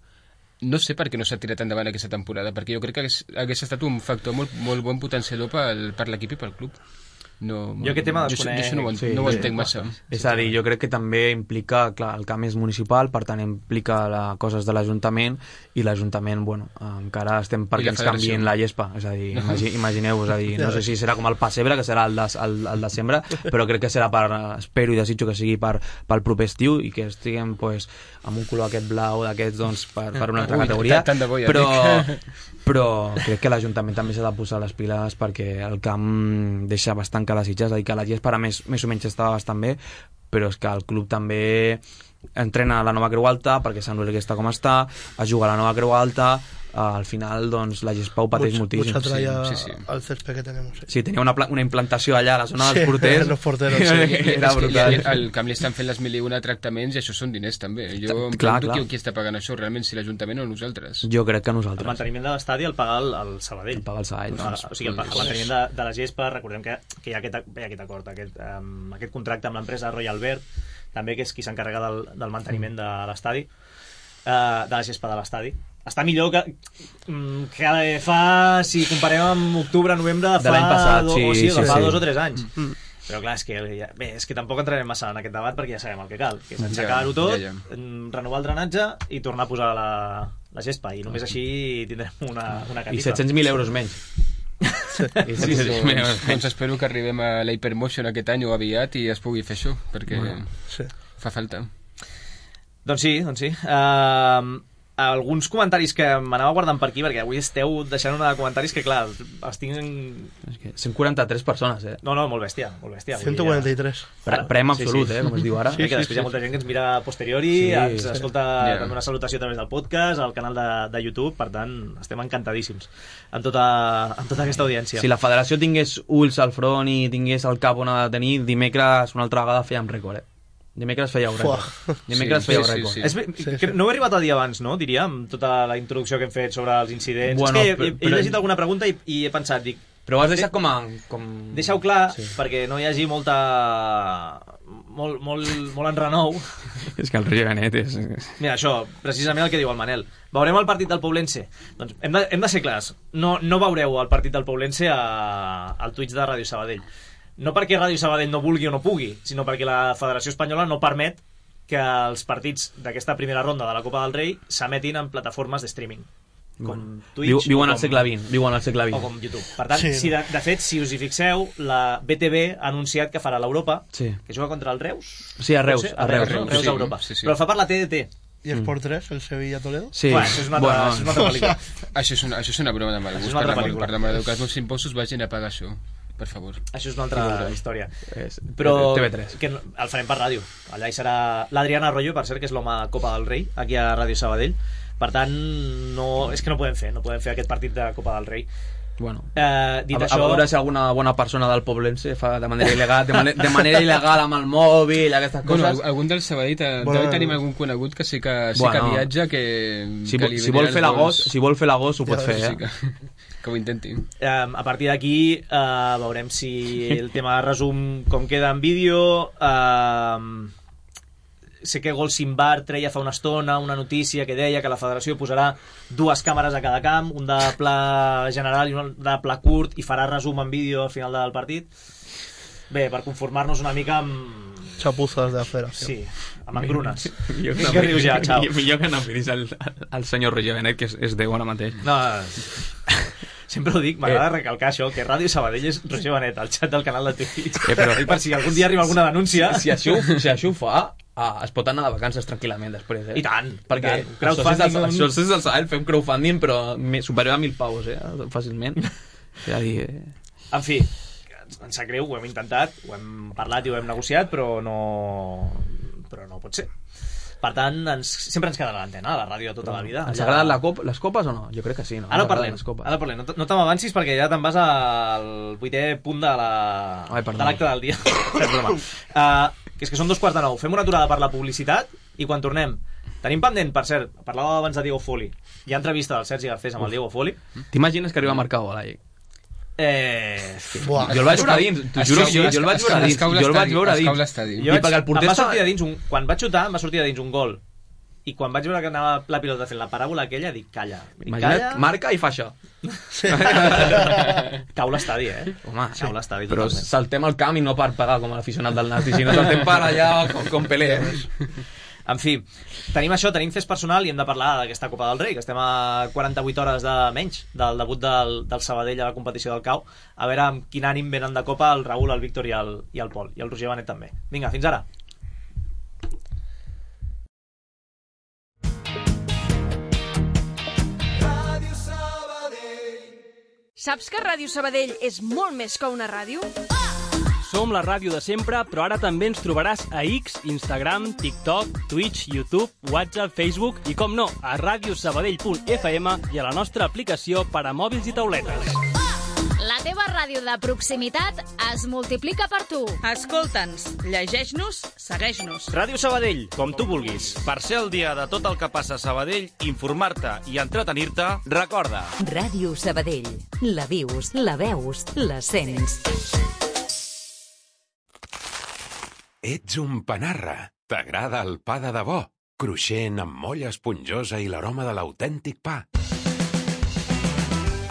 No sé per què no s'ha tirat endavant aquesta temporada, perquè jo crec que hagués, hagués estat un factor molt, molt bon potenciador pel, per l'equip i pel club. No, jo aquest tema jo, desconec... jo això no ho, Sí, no ho sí. entenc massa. És a dir, jo crec que també implica, clar, el camp és municipal, per tant implica la, coses de l'Ajuntament, i l'Ajuntament, bueno, encara estem perquè ens canvien la gespa, és a dir, imagi, imagineu-vos, a dir, no sé si serà com el pessebre, que serà el, des, el, el desembre, però crec que serà per, espero i desitjo que sigui per, pel proper estiu, i que estiguem, pues, amb un color aquest blau d'aquests, doncs, per, per una altra Ui, categoria, tant de bo, ja però, dic. però crec que l'Ajuntament també s'ha de posar les piles, perquè el camp deixa bastant que desitjar, és a dir, que la gespa ara més, més o menys estava bastant bé, però és que el club també entrena la nova Creu Alta, perquè Sant Luis que està com està, es juga a la nova Creu Alta, uh, al final doncs la gespa ho pateix moltíssim. Mucha tralla Sí, sí, sí. al césped que tenemos. Sí, Sí, tenia una, pla- una implantació allà a la zona Sí, dels porters. los porteros, sí. Era És que brutal. ja- al camp li estan fent les mil i una tractaments i això són diners també. Jo em Clar, pregunto clar. qui, qui està pagant això realment, si l'Ajuntament o nosaltres. Jo crec que El nosaltres. manteniment de l'estadi el paga el, el Sabadell. El paga el Sabadell. No, o sigui, el, el manteniment de, de la gespa, recordem que, que hi ha aquest, hi ha aquest acord, aquest, um, aquest contracte amb l'empresa Royal Verd, també, que és qui s'encarrega del, del manteniment de l'estadi, uh, de la gespa de l'estadi. Està millor que, mm, que fa, si comparem amb octubre, novembre, de De fa, l'any passat, do, sí, o sigui, de sí, fa sí. dos o tres anys. Mm. Però clar, és que, ja, bé, és que tampoc entrarem massa en aquest debat perquè ja sabem el que cal, que és aixecar-ho tot, Ja, ja. mm, renovar el drenatge i tornar a posar la, la gespa, i només així tindrem una, una I catifa. set-cents mil euros menys. I Sí, set-cents mil euros doncs, menys. doncs espero que arribem a l'Hypermotion aquest any o aviat i es pugui fer això, perquè Sí. fa falta. Doncs sí, doncs sí. Uh, alguns comentaris que m'anava guardant per aquí, perquè avui esteu deixant una de comentaris que, clar, els tinc... En... És que cent quaranta-tres persones, eh? No, no, molt bèstia, molt bèstia. ciento cuarenta y tres. Pre Prem absolut, Sí, sí. eh? Com es diu ara. Sí, que després hi ha molta gent que ens mira a posteriori, Sí, ens sí. escolta Yeah. també una salutació a través del podcast, al canal de, de YouTube, per tant, estem encantadíssims amb tota, amb tota aquesta audiència. Si la federació tingués ulls al front i tingués el cap on ha de tenir, dimecres una altra vegada fèiem rècord, eh? Dimecres fèieu rècord. Fuà. Dimecres Sí, fèieu sí, sí, rècord. sí. És, bé, Sí, que sí. no he arribat a dir abans, no? Diria, amb tota la introducció que hem fet sobre els incidents. Bueno, és que he, he, he però- llegit alguna pregunta i, i he pensat, dic, Però ho has deixat com a... Com... deixa-ho clar, Sí. perquè no hi hagi molta... molt, molt, molt enrenou. És que el Roger Benet és... Mira, això, precisament el que diu el Manel. Veurem el partit del Poblense? Doncs hem de, hem de ser clars. No, no veureu el partit del Poblense a, al Twitch de Ràdio Sabadell. No perquè Ràdio Sabadell no vulgui o no pugui, sinó perquè la Federació Espanyola no permet que els partits d'aquesta primera ronda de la Copa del Rei s'emetin en plataformes de streaming. Com Twitch Viu, viuen o al com- segle vint, viuen al segle o vint. com YouTube. Per tant, Sí, si de, de fet, si us hi fixeu, la B T V ha anunciat que farà l'Europa, Sí. que juga contra el Reus. Sí, a Reus, Pot ser? a Reus, no? Reus, Reus sí, Europa. sí, sí. Però el fa per la T D T. ¿Y es por tres el Sevilla-Toledo? Sí. Bueno, això és una altra, Bueno, això és una altra pel·lícula. Això és una, això és una broma de mal Això és gust. una Per altra la, pel·lícula. per la mare de Déu, que els meus impostos vagin a pagar això, per favor. Això és una altra història. és Però T V tres. que no- el farem per ràdio. Allà hi serà l'Adriana Arroyo, per cert, que és l'home Copa del Rei, aquí a Ràdio Sabadell. Per tant, no, és que no podem fer, no podem fer aquest partit de Copa del Rei. Bueno. Eh, dit A, això... a veure si alguna bona persona del Poblense fa de manera il·legal, de, mane de manera il·legal amb el mòbil, aquestes Bueno, coses. al- algun del Sabadell bueno, Bueno. deu tenim algun conegut que sí que, sí Bueno. que viatja, que, Si, que vo- li si vol venen fer els l'agost, vols. si vol fer l'agost ho pot Ja, fer, Sí eh? que, que ho intenti. Eh, a partir d'aquí eh, veurem si el tema de resum com queda en vídeo. eh, sé que Gol Simbar treia fa una estona una notícia que deia que la federació posarà dues càmeres a cada camp, un de pla general i un de pla curt, i farà resum en vídeo al final del partit. Bé, per conformar-nos una mica amb... Chapuzas de la federación. Sí, amb engrunes. Millor Que rius ja, xau. Millor que no miris el, el senyor Roger Benet, que és, és Déu ara mateix. No, sempre ho dic, m'agrada recalcar això, que Ràdio Sabadell és Roger Benet, al xat del canal de Twitch. Eh, però- I per si algun dia arriba alguna denúncia... Si això, si això ho fa, ah, es pot anar de vacances tranquil·lament després, eh? I tant, Perquè i tant. els socis Crowdfunding, del- un- els socis del Sabadell fem crowdfunding, però me- superior a mil paus, eh? Fàcilment. És a dir... Eh? En fi, ens sap greu, ho hem intentat, ho hem parlat i ho hem negociat, però no, però no pot ser. Per tant, ens, sempre ens quedarà l'antena, la ràdio de tota la vida. Ens agraden la cop, les copes o no? Jo crec que sí, no? Ara parlem, ara parlem. No, no te m'avancis perquè ja te'n vas al vuitè punt de la- Ai, de perdó. l'acte del dia. És broma. Uh, que és que són dos quarts de nou. Fem una aturada per la publicitat i quan tornem tenim pendent, per cert, parlava abans de Diego Foli. Hi ha entrevista del Sergi Garcés amb el Diego Foli. T'imagines que arriba a marcar gol, ahí? Eh... Buah. Jo el vaig veure a dins, t'ho juro, jo, jo el vaig veure a dins, jo el vaig veure a dins. Jo I perquè el porter em va estava- sortir de dins un, quan vaig xutar, em va sortir de dins un gol. I quan vaig veure que anava la pilota fent la paràbola aquella, dic, calla. Dic, Imagina't, calla. marca i fa això. Cau l'estadi, eh? Home, Cau l'estadi però totalment. saltem al camp i no per pagar com a l'aficionat del Nasti, sinó saltem per allà com, com Pelé. En fi, tenim això, tenim fes personal i hem de parlar d'aquesta Copa del Rei, que estem a quaranta-vuit hores de menys del debut del, del Sabadell a la competició del Cau. A veure amb quin ànim venen de Copa el Raül, el Víctor i el, i el Pol. I el Roger Benet també. Vinga, fins ara. Saps que Ràdio Sabadell és molt més que una ràdio? Som la ràdio de sempre, però ara també ens trobaràs a X, Instagram, TikTok, Twitch, YouTube, WhatsApp, Facebook i, com no, a radiosabadell punt f m i a la nostra aplicació per a mòbils i tauletes. La teva ràdio de proximitat es multiplica per tu. Escolta'ns, llegeix-nos, segueix-nos. Ràdio Sabadell, com tu vulguis. Per ser el dia de tot el que passa a Sabadell, informar-te i entretenir-te, recorda. Ràdio Sabadell. La vius, la veus, la sents. Ets un panarra. T'agrada el pa de debò, cruixent amb molla esponjosa i l'aroma de l'autèntic pa.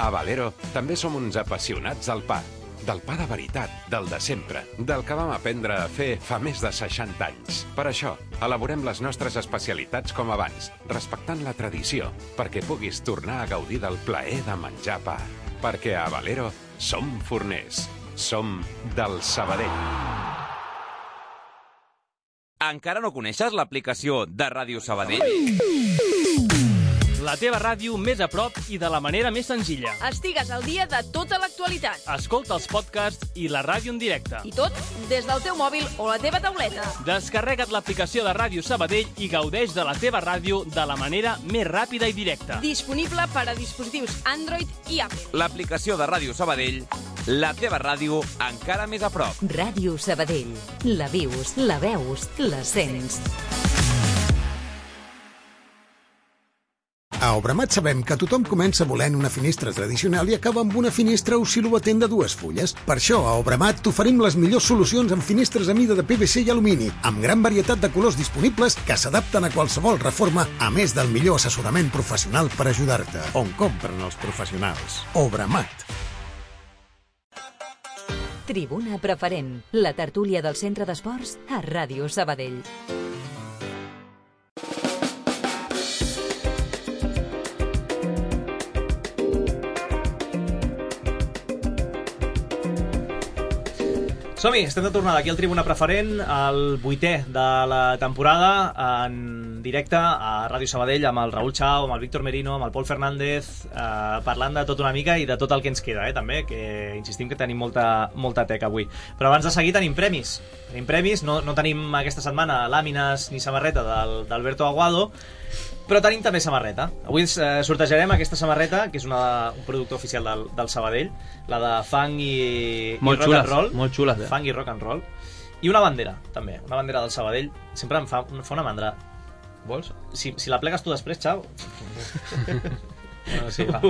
A Valero també som uns apassionats del pa. Del pa de veritat, del de sempre, del que vam aprendre a fer fa més de seixanta anys. Per això, elaborem les nostres especialitats com abans, respectant la tradició, perquè puguis tornar a gaudir del plaer de menjar pa. Perquè a Valero som forners. Som del Sabadell. Encara no coneixes l'aplicació de Ràdio Sabadell? La teva ràdio més a prop i de la manera més senzilla. Estigues al dia de tota l'actualitat. Escolta els podcasts i la ràdio en directe. I tot des del teu mòbil o la teva tauleta. Descarrega't l'aplicació de Ràdio Sabadell i gaudeix de la teva ràdio de la manera més ràpida i directa. Disponible per a dispositius Android i Apple. L'aplicació de Ràdio Sabadell, la teva ràdio encara més a prop. Ràdio Sabadell. La vius, la veus, la sents. A Obramat sabem que tothom comença volent una finestra tradicional i acaba amb una finestra oscil·lobatent de dues fulles. Per això, a Obramat t'oferim les millors solucions amb finestres a mida de P V C i alumini, amb gran varietat de colors disponibles que s'adapten a qualsevol reforma, a més del millor assessorament professional per ajudar-te. On compren els professionals? Obramat. Tribuna Preferent, la tertúlia del Centre d'Esports a Ràdio Sabadell. Som-hi, estem de tornada aquí al Tribuna Preferent, el vuitè de la temporada, en directe a Ràdio Sabadell amb el Raül Chao, amb el Víctor Merino, amb el Pol Fernández, eh, parlant de tot una mica i de tot el que ens queda, eh, també, que insistim que tenim molta, molta teca avui. Però abans de seguir tenim premis. Tenim premis, no, no tenim aquesta setmana làmines ni samarreta del- d'Alberto Aguado, però tenim també samarreta. Avui ens eh, sortejarem aquesta samarreta, que és una, un producte oficial del, del Sabadell, la de funk i, Molt i rock xules, and roll. molt xules, eh? Funk i rock and roll. I una bandera, també. Una bandera del Sabadell. Sempre em fa, em fa una mandra. Vols? Si, si la plegues tu després, Xau. Bueno, sí, va.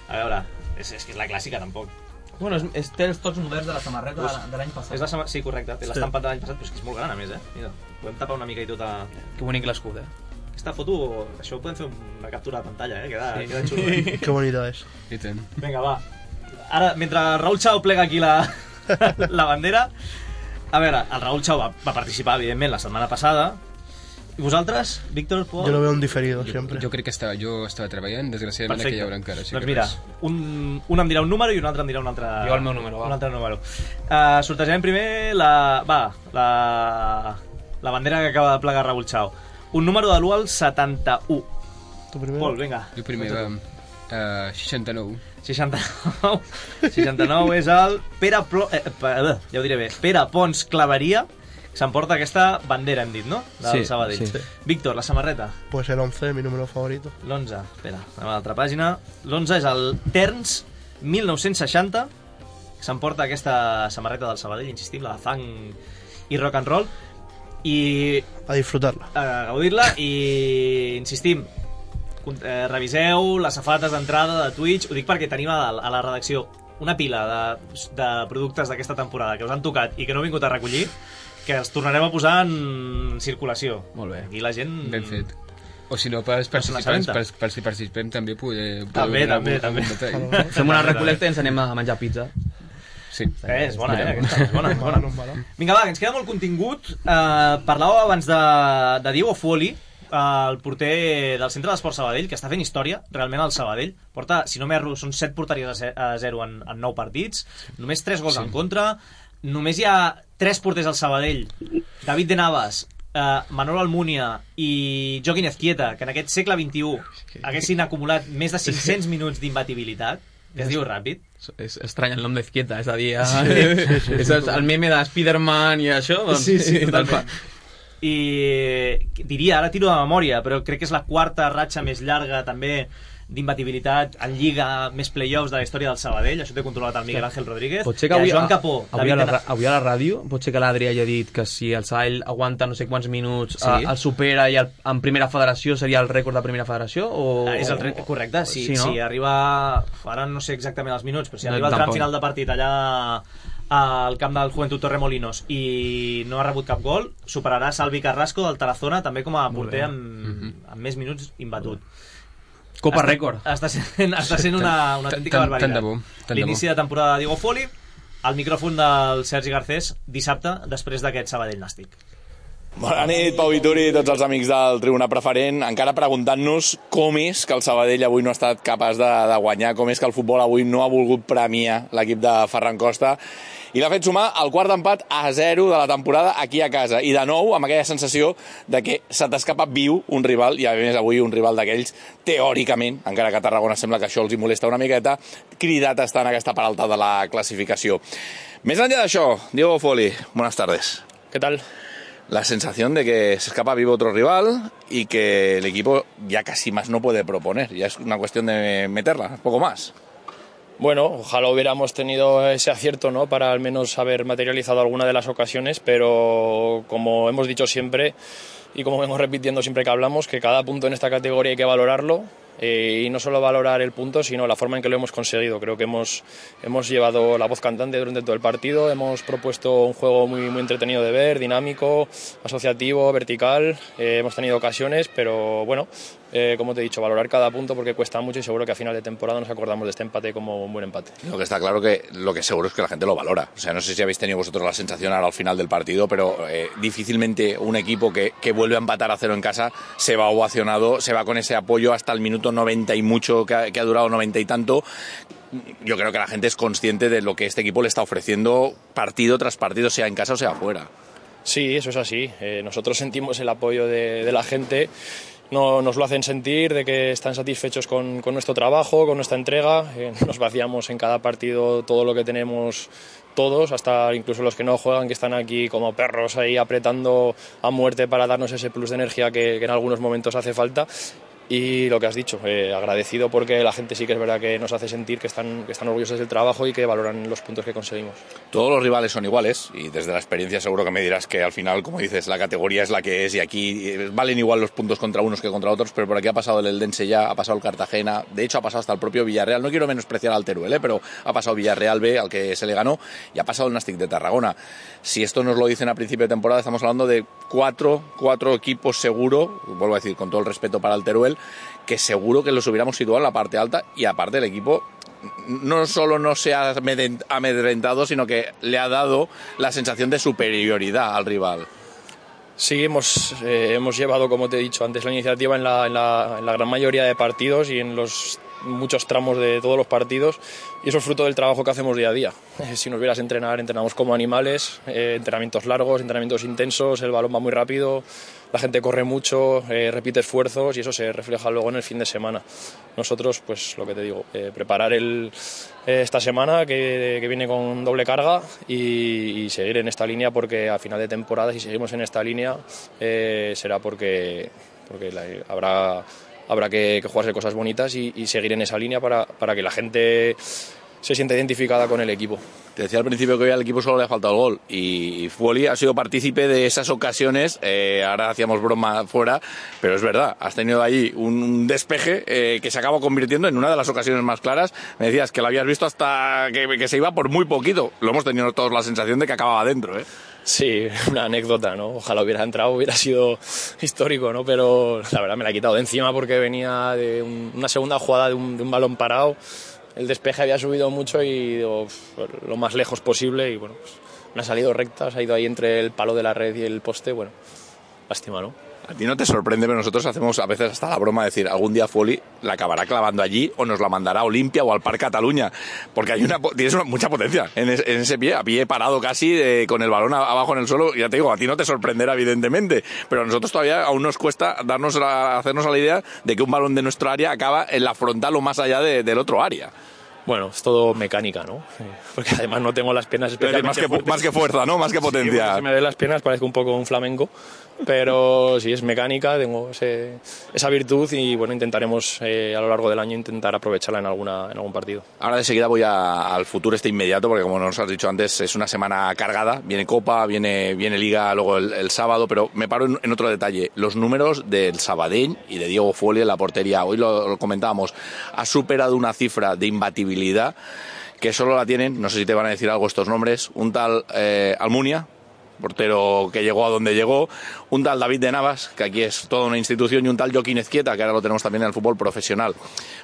A veure, és, és que és la clàssica, tampoc. Bueno, és, és, té els tots moderns de la samarreta de, de l'any passat. És la sama... Sí, correcte, té l'estampat de l'any passat, però és que és molt gran, a més, eh? Mira, podem tapar una mica i tota... Que bonic l'escut, eh? Aquesta foto, això ho podem fer una captura de pantalla, eh? Queda, Sí. queda xulo, eh? Que bonita és. I tant. Vinga, va. Ara, mentre Raül Chao plega aquí la, la bandera, a veure, el Raül Chao va, va participar, evidentment, la setmana passada. I vosaltres, Víctor, Pol? Yo lo veo en diferido Jo, siempre. jo crec que estava, jo estava treballant, desgraciadament Perfecte. aquí hi haurà encara. Així Doncs que mira, res. un, un em dirà un número i un altre em dirà un altre... Jo el meu número, va. Un altre número. Uh, sortejarem primer la... Va, la... La bandera que acaba de plegar Raül Chao. Un número de l'u al setanta-u. Tu primer? Pol, vinga. Jo primer, va. Uh, seixanta-nou. seixanta-nou. seixanta-nou és el Pere Plo... eh, pa- eh, ja ho diré bé. Pere Pons Claveria, s'emporta aquesta bandera, hem dit, no? Del Sí, Sabadell. sí. Víctor, la samarreta. Pues el once, mi número favorito. L'onze, espera, anem a l'altra pàgina. L'onze és el Terns mil nou-cents seixanta, que s'emporta aquesta samarreta del Sabadell, insistim, la de fang i rock and roll, i... A disfrutar-la. A gaudir-la, i insistim, eh, reviseu les safates d'entrada de Twitch, ho dic perquè tenim a, a la redacció una pila de, de productes d'aquesta temporada que us han tocat i que no he vingut a recollir, que els tornarem a posar en circulació. Molt bé. Aquí la gent... Ben fet. O si no, pels participants, pels, pels que participem també poder... També, també, també. Fem una recolecta i ens anem a menjar pizza. Sí. Eh, és bona, eh? Aquesta és bona, és bona. Vinga, va, que ens queda molt contingut. Uh, parlàveu abans de, de Diego Fuoli, el porter del Centre d'Esport Sabadell, que està fent història, realment, al Sabadell. Porta, si no m'erro, són set porteries a zero en, en nou partits, només tres gols sí. en contra, només hi ha tres porters al Sabadell, David de Navas, eh, Manolo Almunia i Joaquín Ezquieta, que en aquest segle vint-i-u haguessin acumulat més de cinc-cents minuts d'imbatibilitat, que es diu ràpid. És estrany el nom d'Ezquieta, és a dir, sí, sí, sí, és el meme de Spiderman i això, doncs... Sí, sí, totalment. I diria, ara tiro de memòria, però crec que és la quarta ratxa més llarga també d'imbatibilitat en Lliga, més playoffs de la història del Sabadell. Això té controlat el Miguel Ángel Rodríguez. Pot ser que avui, Joan Capó, avui, a la, avui a la ràdio pot ser que l'Adri hagi dit que si el Sabadell aguanta no sé quants minuts sí. el supera i el, en primera federació seria el rècord de primera federació o... Ah, és el rècord, correcte, si, sí, no? si arriba, ara no sé exactament els minuts, però si arriba no, al tram final de partit allà al camp del Juventud Torremolinos i no ha rebut cap gol, superarà Salvi Carrasco del Tarazona també com a porter amb, mm-hmm. amb més minuts imbatut. Copa està, rècord. Està sent, està sent una, una autèntica barbaritat. L'inici de temporada de Diego Fuoli, al micròfon del Sergi Garcés, dissabte, després d'aquest Sabadell nàstic. Bona nit, Pau Vituri i tots els amics del Tribuna Preferent. Encara preguntant-nos com és que el Sabadell avui no ha estat capaç de, de guanyar, com és que el futbol avui no ha volgut premiar l'equip de Ferran Costa i l'ha fet sumar el quart empat a zero de la temporada aquí a casa. I de nou amb aquella sensació de que se t'escapa viu un rival, i a més avui un rival d'aquells, teòricament, encara que a Tarragona sembla que això els hi molesta una miqueta, cridat a estar en aquesta part alta de la classificació. Més enllà d'això, Diego Fuoli, buenas tardes. ¿Qué tal? La sensación de que se escapa vivo otro rival y que el equipo ya casi más no puede proponer. Ya es una cuestión de meterla, poco más. Bueno, ojalá hubiéramos tenido ese acierto, ¿no?, para al menos haber materializado alguna de las ocasiones, pero como hemos dicho siempre y como vengo repitiendo siempre que hablamos, que cada punto en esta categoría hay que valorarlo. Eh, y no solo valorar el punto, sino la forma en que lo hemos conseguido. Creo que hemos, hemos llevado la voz cantante durante todo el partido, hemos propuesto un juego muy, muy entretenido de ver, dinámico, asociativo, vertical, eh, hemos tenido ocasiones, pero bueno, eh, como te he dicho, valorar cada punto porque cuesta mucho y seguro que a final de temporada nos acordamos de este empate como un buen empate. Lo que está claro que lo que seguro es que la gente lo valora. O sea, no sé si habéis tenido vosotros la sensación ahora al final del partido, pero eh, difícilmente un equipo que, que vuelve a empatar a cero en casa se va ovacionado, se va con ese apoyo hasta el minuto noventa y mucho, que ha, que ha durado noventa y tanto. Yo creo que la gente es consciente de lo que este equipo le está ofreciendo partido tras partido, sea en casa o sea afuera. Sí, eso es así. Eh, nosotros sentimos el apoyo de, de la gente. No, nos lo hacen sentir, de que están satisfechos con, con nuestro trabajo, con nuestra entrega. Eh, nos vaciamos en cada partido todo lo que tenemos todos, hasta incluso los que no juegan, que están aquí como perros ahí apretando a muerte para darnos ese plus de energía que, que en algunos momentos hace falta. Y lo que has dicho, eh, agradecido porque la gente sí que es verdad que nos hace sentir que están, que están orgullosos del trabajo y que valoran los puntos que conseguimos. Todos los rivales son iguales y desde la experiencia seguro que me dirás que al final, como dices, la categoría es la que es y aquí valen igual los puntos contra unos que contra otros, pero por aquí ha pasado el Eldense ya, ha pasado el Cartagena, de hecho ha pasado hasta el propio Villarreal. No quiero menospreciar al Teruel, ¿eh? Pero ha pasado Villarreal B, al que se le ganó, y ha pasado el Nàstic de Tarragona. Si esto nos lo dicen a principio de temporada, estamos hablando de cuatro, cuatro equipos seguro, vuelvo a decir con todo el respeto para el Teruel, que seguro que los hubiéramos situado en la parte alta, y aparte el equipo no solo no se ha amedrentado, sino que le ha dado la sensación de superioridad al rival. Sí, hemos, eh, hemos llevado, como te he dicho antes, la iniciativa en la, en, la, en la gran mayoría de partidos y en los muchos tramos de todos los partidos y eso es fruto del trabajo que hacemos día a día. Si nos vieras entrenar, entrenamos como animales, eh, entrenamientos largos, entrenamientos intensos, el balón va muy rápido, la gente corre mucho, eh, repite esfuerzos y eso se refleja luego en el fin de semana. Nosotros, pues lo que te digo, eh, preparar el, eh, esta semana que, que viene con doble carga y, y seguir en esta línea porque a final de temporada, si seguimos en esta línea, eh, será porque, porque la, habrá... Habrá que, que jugarse cosas bonitas y, y seguir en esa línea para, para que la gente se sienta identificada con el equipo. Te decía al principio que hoy al equipo solo le ha faltado el gol y Fuoli ha sido partícipe de esas ocasiones. Eh, ahora hacíamos broma fuera, pero es verdad, has tenido ahí un despeje eh, que se acaba convirtiendo en una de las ocasiones más claras. Me decías que lo habías visto hasta que, que se iba por muy poquito. Lo hemos tenido todos la sensación de que acababa dentro, ¿eh? Sí, una anécdota, ¿no? Ojalá hubiera entrado, hubiera sido histórico, ¿no? Pero la verdad me la he quitado de encima porque venía de un, una segunda jugada de un, de un balón parado. El despeje había subido mucho y digo, lo más lejos posible y bueno, pues, me ha salido recta, se ha ido ahí entre el palo de la red y el poste, bueno, lástima, ¿no? A ti no te sorprende, pero nosotros hacemos a veces hasta la broma de decir, algún día Fuoli la acabará clavando allí o nos la mandará a Olimpia o al Parc Cataluña, porque hay una, tienes una, mucha potencia en, es, en ese pie, a pie parado casi, eh, con el balón a, abajo en el suelo. Ya te digo, a ti no te sorprenderá evidentemente, pero a nosotros todavía aún nos cuesta darnos la, hacernos a la idea de que un balón de nuestro área acaba en la frontal o más allá de, del otro área. Bueno, es todo mecánica, ¿no? Porque además no tengo las piernas especialmente más que, fuertes. Más que fuerza, ¿no? Más que potencia. Sí, si me ven las piernas parezco un poco un flamenco, pero sí, es mecánica, tengo ese, esa virtud y bueno, intentaremos eh, a lo largo del año intentar aprovecharla en, alguna, en algún partido. Ahora de seguida voy a, al futuro este inmediato, porque como nos has dicho antes, es una semana cargada, viene Copa, viene, viene Liga luego el, el sábado, pero me paro en, en otro detalle, los números del Sabadell y de Diego Fuoli en la portería. Hoy lo, lo comentábamos, ha superado una cifra de imbatibilidad que solo la tienen, no sé si te van a decir algo estos nombres, un tal eh, Almunia, portero que llegó a donde llegó, un tal David de Navas, que aquí es toda una institución, y un tal Joaquín Ezquieta, que ahora lo tenemos también en el fútbol profesional.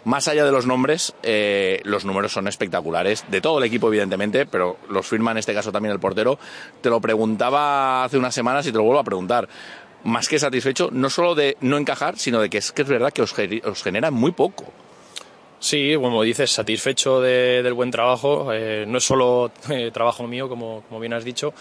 Más allá de los nombres, eh, los números son espectaculares, de todo el equipo evidentemente, pero los firma en este caso también el portero. Te lo preguntaba hace unas semanas y te lo vuelvo a preguntar. Más que satisfecho, no solo de no encajar, sino de que es que es verdad que os, os genera muy poco. Sí, como dices, satisfecho de, del buen trabajo. Eh, no es solo eh, trabajo mío, como, como bien has dicho.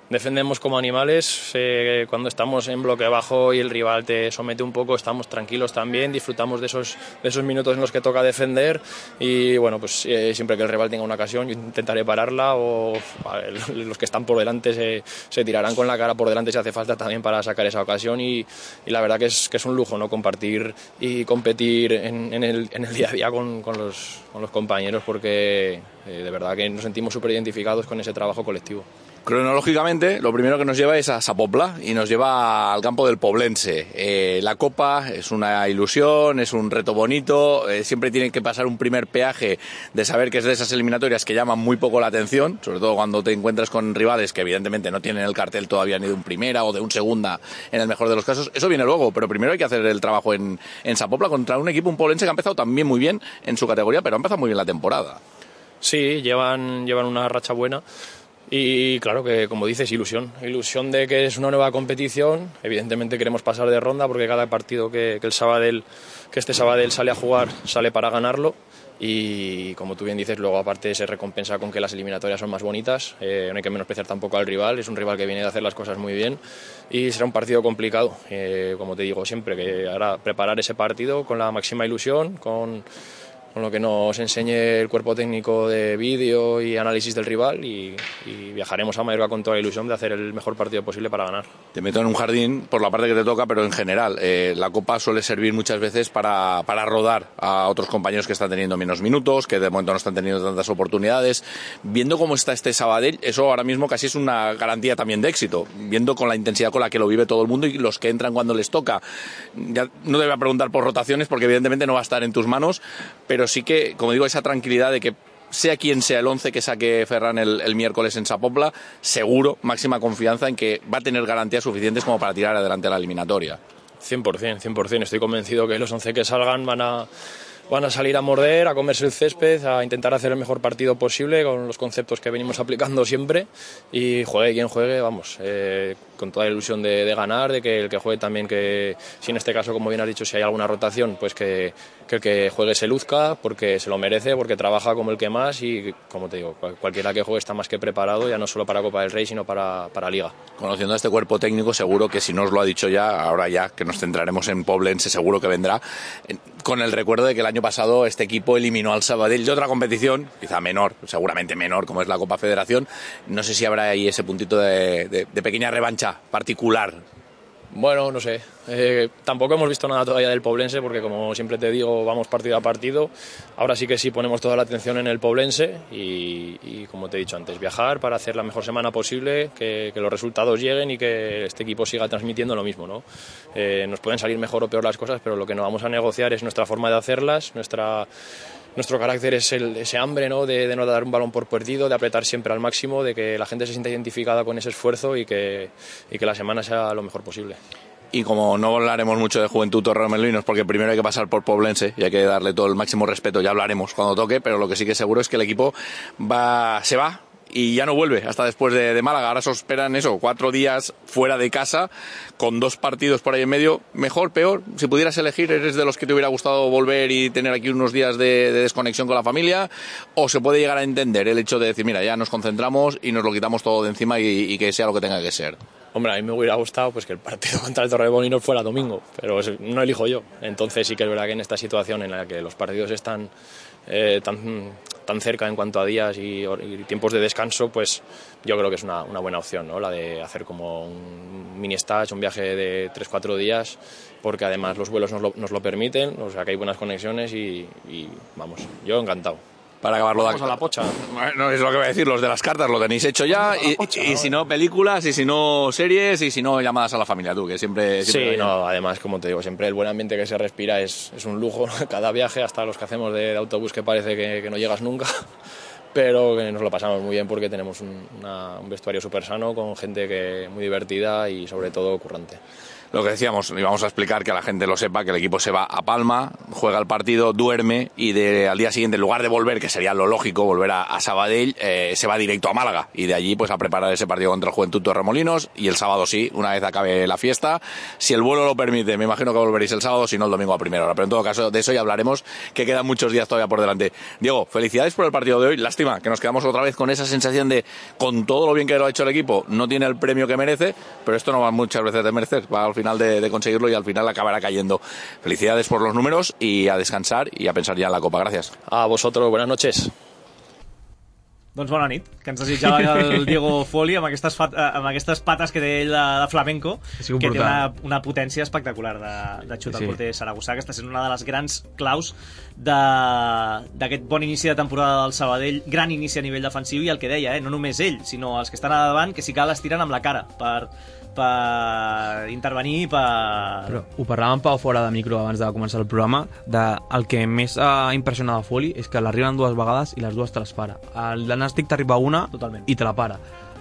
Defendemos como animales, eh, cuando estamos en bloque bajo y el rival te somete un poco, estamos tranquilos también, disfrutamos de esos, de esos minutos en los que toca defender y bueno, pues eh, siempre que el rival tenga una ocasión yo intentaré pararla o ver, los que están por delante se, se tirarán con la cara por delante si hace falta también para sacar esa ocasión y, y la verdad que es, que es un lujo, ¿no? Compartir y competir en, en, el, en el día a día con, con, los, con los compañeros porque eh, de verdad que nos sentimos súper identificados con ese trabajo colectivo. Cronológicamente, lo primero que nos lleva es a Sapopla y nos lleva al campo del Poblense. Eh, la Copa es una ilusión, es un reto bonito, eh, siempre tiene que pasar un primer peaje de saber que es de esas eliminatorias que llaman muy poco la atención, sobre todo cuando te encuentras con rivales que evidentemente no tienen el cartel todavía ni de un primera o de un segunda en el mejor de los casos. Eso viene luego, pero primero hay que hacer el trabajo en, en Sapopla contra un equipo, un Poblense que ha empezado también muy bien en su categoría, pero ha empezado muy bien la temporada. Sí, llevan, llevan una racha buena. Y claro que, como dices, ilusión. Ilusión de que es una nueva competición. Evidentemente queremos pasar de ronda porque cada partido que, que el Sabadell, que este Sabadell sale a jugar, sale para ganarlo. Y como tú bien dices, luego aparte se recompensa con que las eliminatorias son más bonitas. Eh, no hay que menospreciar tampoco al rival. Es un rival que viene de hacer las cosas muy bien. Y será un partido complicado. Eh, como te digo siempre, que ahora preparar ese partido con la máxima ilusión, con... con lo que nos enseñe el cuerpo técnico de vídeo y análisis del rival y, y viajaremos a Mallorca con toda la ilusión de hacer el mejor partido posible para ganar. Te meto en un jardín por la parte que te toca, pero en general eh, la Copa suele servir muchas veces para, para rodar a otros compañeros que están teniendo menos minutos, que de momento no están teniendo tantas oportunidades. Viendo cómo está este Sabadell, eso ahora mismo casi es una garantía también de éxito, viendo con la intensidad con la que lo vive todo el mundo y los que entran cuando les toca. Ya no te voy a preguntar por rotaciones porque evidentemente no va a estar en tus manos, pero Pero sí que, como digo, esa tranquilidad de que sea quien sea el once que saque Ferran el, el miércoles en Sapopla, seguro, máxima confianza en que va a tener garantías suficientes como para tirar adelante la eliminatoria. cien por ciento, cien por ciento. Estoy convencido que los once que salgan van a, van a salir a morder, a comerse el césped, a intentar hacer el mejor partido posible con los conceptos que venimos aplicando siempre y juegue quien juegue, vamos, eh, con toda la ilusión de, de ganar, de que el que juegue también, que si en este caso, como bien has dicho, si hay alguna rotación, pues que, que el que juegue se luzca, porque se lo merece, porque trabaja como el que más y, como te digo, cual, cualquiera que juegue está más que preparado, ya no solo para Copa del Rey, sino para, para Liga. Conociendo a este cuerpo técnico, seguro que si no os lo ha dicho ya, ahora ya que nos centraremos en Poblense, seguro que vendrá, con el recuerdo de que el año pasado este equipo eliminó al Sabadell de otra competición, quizá menor, seguramente menor, como es la Copa Federación. No sé si habrá ahí ese puntito de, de, de pequeña revancha particular. Bueno, no sé, eh, tampoco hemos visto nada todavía del Poblense porque, como siempre te digo, vamos partido a partido. Ahora sí que sí ponemos toda la atención en el Poblense y, y como te he dicho antes, viajar para hacer la mejor semana posible, que, que los resultados lleguen y que este equipo siga transmitiendo lo mismo, ¿no? Eh, nos pueden salir mejor o peor las cosas, pero lo que no vamos a negociar es nuestra forma de hacerlas, nuestra... Nuestro carácter es el, ese hambre, ¿no? de, de no dar un balón por perdido, de apretar siempre al máximo, de que la gente se sienta identificada con ese esfuerzo y que, y que la semana sea lo mejor posible. Y como no hablaremos mucho de Juventud Torremolinos, porque primero hay que pasar por Poblense y hay que darle todo el máximo respeto, ya hablaremos cuando toque, pero lo que sí que seguro es que el equipo va, se va y ya no vuelve hasta después de, de Málaga. Ahora se esperan eso, cuatro días fuera de casa, con dos partidos por ahí en medio. Mejor, peor, si pudieras elegir, ¿eres de los que te hubiera gustado volver y tener aquí unos días de, de desconexión con la familia? ¿O se puede llegar a entender el hecho de decir, mira, ya nos concentramos y nos lo quitamos todo de encima y, y que sea lo que tenga que ser? Hombre, a mí me hubiera gustado pues que el partido contra el Torremolinos fuera domingo, pero no elijo yo. Entonces sí que es verdad que en esta situación en la que los partidos están eh, tan, tan cerca en cuanto a días y, y tiempos de descanso, pues yo creo que es una, una buena opción, ¿no? La de hacer como un mini stage, un viaje de tres cuatro días, porque además los vuelos nos lo, nos lo permiten, o sea que hay buenas conexiones y, y vamos, yo encantado. Para acabarlo Vamos de... a la pocha. Bueno, es lo que voy a decir, los de las cartas lo tenéis hecho ya, y, pocha, y, y si no películas, y si no series, y si no llamadas a la familia, tú, que siempre... siempre sí, no, además, como te digo, siempre el buen ambiente que se respira es, es un lujo, cada viaje, hasta los que hacemos de, de autobús que parece que, que no llegas nunca, pero que nos lo pasamos muy bien porque tenemos un, una, un vestuario súper sano, con gente que muy divertida y sobre todo currante. Lo que decíamos, y vamos a explicar que la gente lo sepa, que el equipo se va a Palma, juega el partido, duerme y de, al día siguiente, en lugar de volver, que sería lo lógico, volver a, a Sabadell, eh, se va directo a Málaga y de allí pues a preparar ese partido contra el Juventud Torremolinos y el sábado sí, una vez acabe la fiesta, si el vuelo lo permite, me imagino que volveréis el sábado, si no el domingo a primera hora, pero en todo caso de eso ya hablaremos, que quedan muchos días todavía por delante. Diego, felicidades por el partido de hoy, lástima que nos quedamos otra vez con esa sensación de, con todo lo bien que lo ha hecho el equipo, no tiene el premio que merece, pero esto no va muchas veces de merecer, va al final de, de conseguirlo y al final acabará cayendo. Felicidades por los números y a descansar y a pensar ya en la Copa. Gracias. A vosotros, buenas noches. Doncs bona nit, que ens desitjava el Diego Foli amb aquestes, fat, amb aquestes pates que té ell de, de flamenco, que brutal. Té una, una potència espectacular de, de xutar sí. El porter Saragossà, que està sent una de les grans claus d'aquest bon inici de temporada del Sabadell, gran inici a nivell defensiu, i el que deia, eh, no només ell, sinó els que estan a davant, que si cal es tiren amb la cara per, per intervenir, per... Però ho parlàvem Pau fora de micro abans de començar el programa, de, el que més ha impressionat a Foli és que l'arriben dues vegades i les dues te les para. El Nàstic t'arriba una Totalment. I te la para.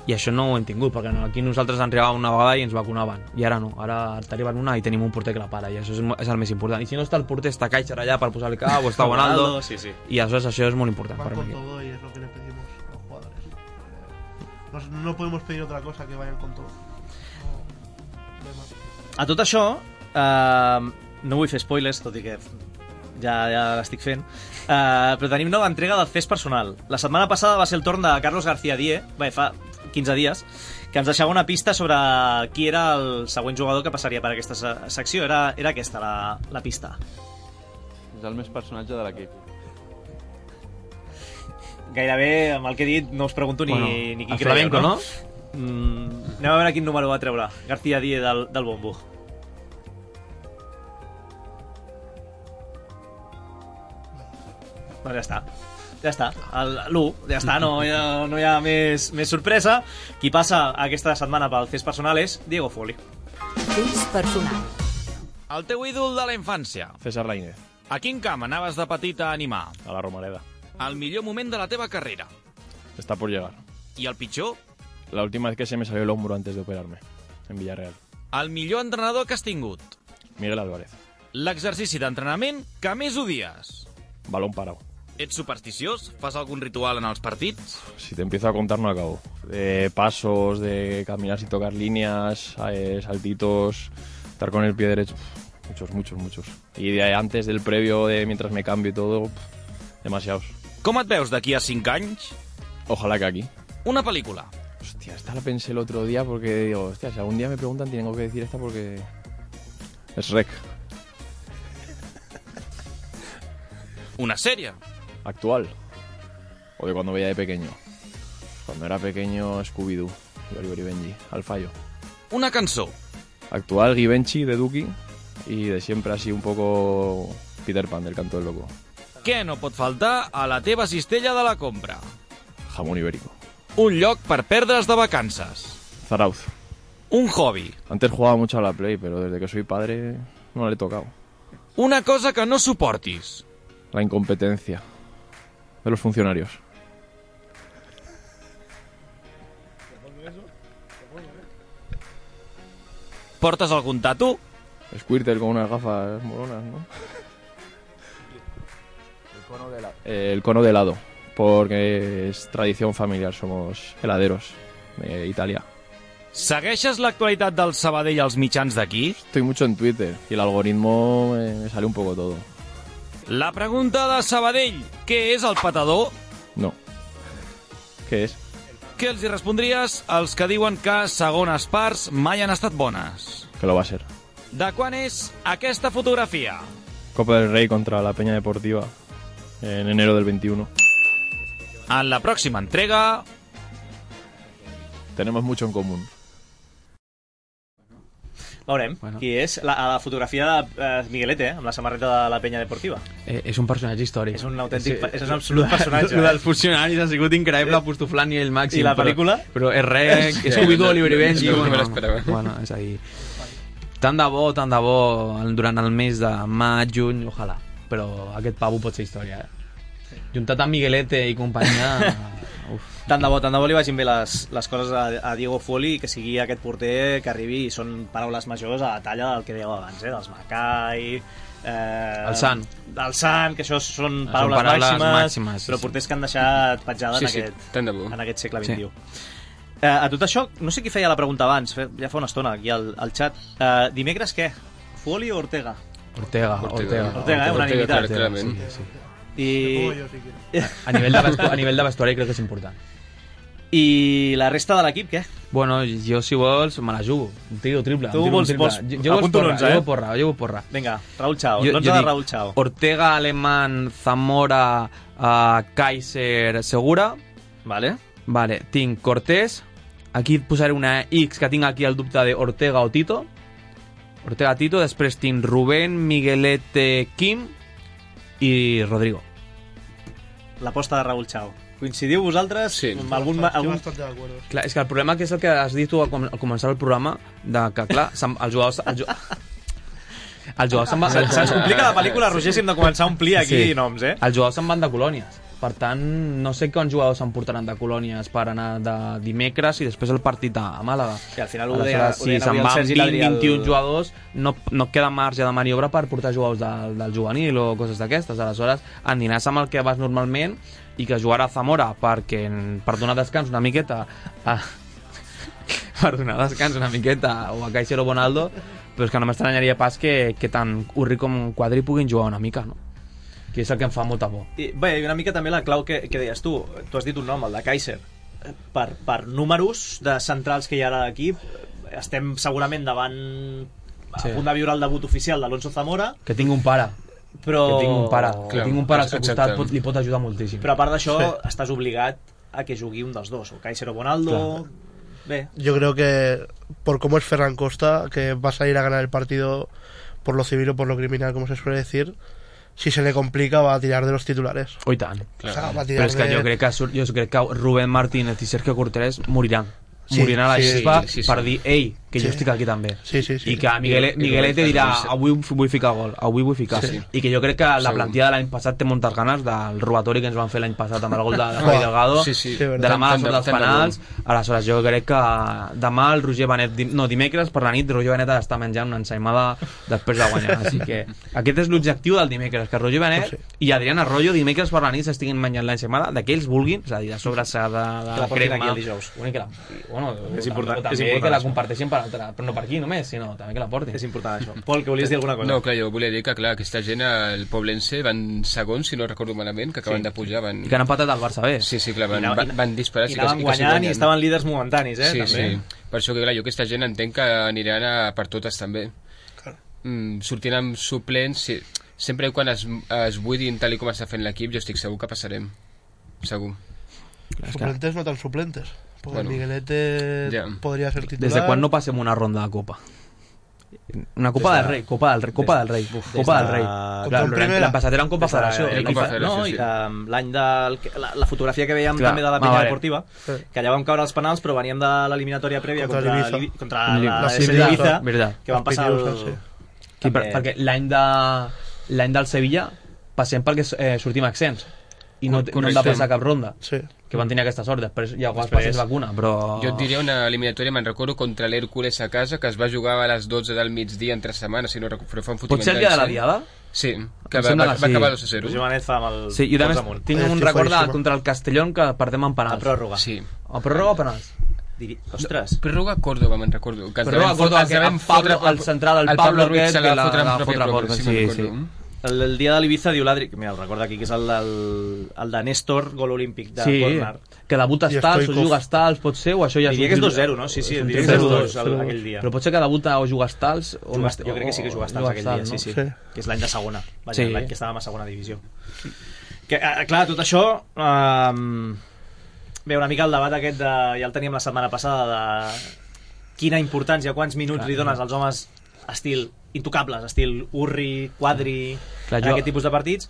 I això no ho hem tingut, perquè aquí nosaltres ens arribava una vegada i ens vacunaven. I ara no, ara t'arriben una i tenim un porter que la para, i això és, és el més important. I si no està el porter, està Kaiser allà per posar-li cap, o està Bonaldo, sí, sí. I això, això és molt important. Van con todo y es lo que le pedimos a los jugadores. No, no podemos pedir otra cosa que vayan con todo. A tot això, eh, no vull fer spoilers, tot i que ja, ja l'estic fent, eh, però tenim nova entrega del Fes Personal. La setmana passada va ser el torn de Carlos García Dié, bé, fa quinze dies, que ens deixava una pista sobre qui era el següent jugador que passaria per aquesta secció. Era, era aquesta, la, la pista. És el més personatge de l'equip. Gairebé, amb el que he dit, no us pregunto ni, bueno, ni qui creieu, flamenco, no? Mm, anem a veure quin número va treure García Dié del, del bombo. Doncs ja està. Ja està. L'u, ja està, no hi ha, no hi ha més, més sorpresa. Qui passa aquesta setmana pel Fes Personal és Diego Foli. Fes Personal. El teu ídol de la infància. César Lainez. A quin camp anaves de petit a animar? A la Romareda. El millor moment de la teva carrera. Está por llegar. I el pitjor? La última vez que se me salió el hombro antes de operarme, en Villarreal. El millor entrenador que has tingut? Miguel Álvarez. L'exercici d'entrenament que més odies? Balón parado. Ets supersticiós? Fas algún ritual en els partits? Si te empiezo a contar no acabo. De pasos, de caminar sin tocar líneas, eh, saltitos, estar con el pie derecho. Muchos, muchos, muchos. Y de antes del previo, de mientras me cambio y todo, demasiados. Com et veus d'aquí a cinc anys? Ojalá que aquí. Una pel·lícula. Hostia, esta la pensé el otro día porque digo, hostia, si algún día me preguntan tengo que decir esta porque es Rec. Una sèrie. Actual. O de cuando veía de pequeño. Cuando era pequeño, Scooby-Doo y Oliver y Benji, al fallo. Una cançó. Actual, Givenchy, de Duki, y de siempre así un poco Peter Pan, del Canto del Loco. Què no pot faltar a la teva cistella de la compra? Jamón ibérico. Un lloc per perdre's de vacances. Zarauz. Un hobby. Antes jugaba mucho a la Play, pero desde que soy padre no le he tocado. Una cosa que no suportis. La incompetencia de los funcionarios. Portes algun tatu? Squirtle con unas gafas moronas, ¿no? El cono de, la... eh, el cono de helado, porque es tradición familiar, somos heladeros de Italia. Segueixes l'actualitat del Sabadell als mitjans d'aquí? Estoy mucho en Twitter y el algoritmo me, me sale un poco todo. La pregunta de Sabadell, què és el patador? No. Què és? Què els hi respondries als que diuen que segones parts mai han estat bones? Que lo va a ser. De quan és aquesta fotografia? Copa del Rey contra la Peña Deportiva en enero del veintiuno. En la pròxima entrega... Tenemos mucho en común. Veurem bueno. Qui és. La, la fotografia de uh, Miguelete, eh, amb la samarreta de la Penya Deportiva. Eh, és un personatge històric. És un autèntic, sí, és un absolut personatge. El dels funcionaris ha sigut increïble, apostoflant i el màxim. I la pel·lícula? Però, però és res, és Scooby-Doo, Oliver i Benji. No, no me l'esperava. Bueno, és ahí. Tant de bo, tant de bo, durant el mes de maig, juny, ojalà. Però aquest pavo pot ser història, eh? Juntat amb Miguelete i companyia... Uf. Tant de bo, tant de bo li vagin bé les, les coses a, a Diego Folli, que sigui aquest porter que arribi, i són paraules majors a la talla del que dèieu abans, eh? Dels Macai... Eh, el Sant. El Sant, que això són paraules, són paraules màximes, màximes sí, però porters que han deixat petjada sí, en, sí, aquest, en aquest segle vint-i-u. Sí. Eh, a tot això, no sé qui feia la pregunta abans, ja fa una estona aquí al, al xat. Eh, dimecres què? Folli o Ortega? Ortega, Ortega. Ortega, Ortega eh? Unanimitat. Ortega, sí, sí. I... A nivell de vestuari, a nivell de vestuari crec que és important. I la resta de l'equip, què? Bueno, jo si vols me la jugo. Un tiro triple. Tu un vols, triple. vols... Jo, jo vols porra, eh? jo porra, jo porra. Vinga, Raúl Chao, jo, l'onze jo de dic, Raúl Chao. Ortega, Alemán, Zamora, uh, Kaiser, Segura. Vale. Vale, tinc Cortés. Aquí et posaré una X que tinc aquí el dubte de Ortega o Tito. Ortega, Tito. Després tinc Rubén, Miguelete, Kim i Rodrigo. L'aposta de Raúl Chao. Coincidiu vosaltres? Sí. Amb algun, algun... Clar, és que el problema que és el que has dit tu al començar el programa, de que, clar, els jugadors... Els jugadors, els jugadors se'n van... Se'ns complica la pel·lícula, Roger, si hem de començar a omplir aquí sí. noms, eh? Els jugadors se'n van de colònies. Per tant, no sé quants jugadors se'n portaran de colònies per anar de dimecres i després el partit a Màlaga. I al final ho deia, si se'n van vint vint i un jugadors, no, no queda marge de maniobra per portar jugadors del, del juvenil o coses d'aquestes. Aleshores, aniràs amb el que vas normalment i que jugarà Zamora perquè, per donar descans una miqueta a, per donar descans una miqueta o a Kaiser o Bonaldo, però és que no m'estranyaria pas que, que tant Urri com Quadri puguin jugar una mica, no? Que és el que em fa molta por. I, bé, una mica també la clau que, que deies tu. Tu has dit un nom, el de Kaiser. Per, per números de centrals que hi ha a l'equip, estem segurament davant a sí. punt de viure el debut oficial d'Alonso Zamora. Que tinc un pare. Però... Que tinc un pare. Clar, que tinc un pare al seu costat, pot, li pot ajudar moltíssim. Però a part d'això, sí. estàs obligat a que jugui un dels dos, o Kaiser o Bonaldo. Clar. Bé. Yo creo que por cómo es Ferran Costa, que va a salir a ganar el partido por lo civil o por lo criminal, como se suele decir, si se le complica va a tirar de los titulares. Oh, i tant. Claro. O sea, va a tirar Però és que de... jo crec que, jo crec que Rubén Martínez i Sergio Cortés moriran. Sí, moriran a la sí, gespa sí, sí, sí. per dir, ei, que Sí. jo estic aquí també. Sí, sí, sí. I que Miguel, Miguelete dirà, avui vull ficar gol, avui vull ficar. Sí. I que jo crec que la Segur. plantilla de l'any passat té moltes ganes del robatori que ens van fer l'any passat amb el gol de, de Javi Delgado, Sí, sí. de la mala sort dels Tant de penals. Aleshores, jo crec que demà el Roger Benet, dim- no, dimecres per la nit, Roger Benet ha d'estar menjant una ensaïmada després de guanyar. Així que aquest és l'objectiu del dimecres, que Roger Benet i Adrián Arroyo dimecres per la nit s'estiguin menjant l'ensaïmada de que ells vulguin, és a dir, de sobrassada, de Que la portin crema. aquí el dijous. Bueno, i que la, i, bueno, És important, també és important que la això. comparteixin per altra, però no per aquí només, sinó també que la portin. És important això. Pol, que volies dir alguna cosa? No, clar, jo volia dir que, clar, aquesta gent, el Poblense, van segons, si no recordo malament, que acaben Sí. de pujar. Van... I que han empatat al Barça bé. Sí, sí, clar, van, I anava- van, van disparar. i sí, anaven quasi- quasi guanyant i guanyen. estaven líders momentanis, eh, Sí, també. sí. Per això que, clar, jo aquesta gent entenc que aniran a per totes, també. Mm, sortint amb suplents, sí. Sempre i quan es, es buidin tal i com està fent l'equip, jo estic segur que passarem. Segur. Suplentes no tan suplentes. Porque Bueno, Miguelete ya. podría ser titular. Des de quan no passem una ronda de Copa? Una Copa Des de- del Rei, Copa del Rei, Copa des- del Rei, des Copa de- del Rei. Contra un L'any primera. l'any passat era un Copa Des de- Federació. eh, I Copa fa- no, i de l'any del... La, la fotografia que veiem Clar. també de la Ah, penya vale. deportiva, que allà vam caure els penals, però veníem de l'eliminatòria prèvia Contra contra, l'Ibiza. l'Ibi- contra Li- la la S D Sevilla, Ibiza, veritat. que van passar el... Sí. Sí, per, també- perquè l'any de l'any del Sevilla passem perquè eh, sortim accents i no, no hem de Correcte. passar cap ronda, Sí. que van tenir aquesta sort. Després ja Després- després vacuna, però... Jo et diria una eliminatòria, me'n recordo, contra l'Hèrcules a casa, que es va jugar a les dotze del migdia entre setmanes, si no recordo, però fa un fotiment Pot ser el dia de la d'any, Diada? Sí, que Em va, sembla va, que va sí. acabar dos a zero. Roger Benet fa amb el... Sí, jo també pols amunt. tinc un Estic record de, claríssima. contra el Castellón que perdem en penals. A pròrroga. Sí. A pròrroga o penals? Diri... Ostres. Pròrroga a Córdoba, me'n recordo. Que ens Pròrroga a devem Córdoba, fot- ens que devem el Pablo- fotre- el central, el el Pablo Ruiz aquest, se la que la- fotre en la pròpia fotre a pròrroga, porta, sí, sí, me'n recordo. sí. El, el dia de l'Ibiza diu l'Adri... Mira, el recorda aquí, que és el, del, el de Néstor, gol olímpic de Sí, córner. que debuta I Stals o Stoikov. juga Stals, pot ser, o això ja és Diria un que és tiro- dos zero, no? Sí, sí, és un diria que tiro és de dos dos. zero aquell dia. Però pot ser que debuta o juga Stals o... Juga, jo crec que sí que juga Stals aquell dia, sí, sí, Sí. que és l'any de segona, vaja, Sí. l'any que estàvem a segona divisió. Que, eh, clar, tot això... Eh, bé, una mica el debat aquest de, ja el teníem la setmana passada, de quina importància, quants minuts Clar, li dones als homes estil intocables, estil Urri, Quadri, Clar, en jo- aquest tipus de partits,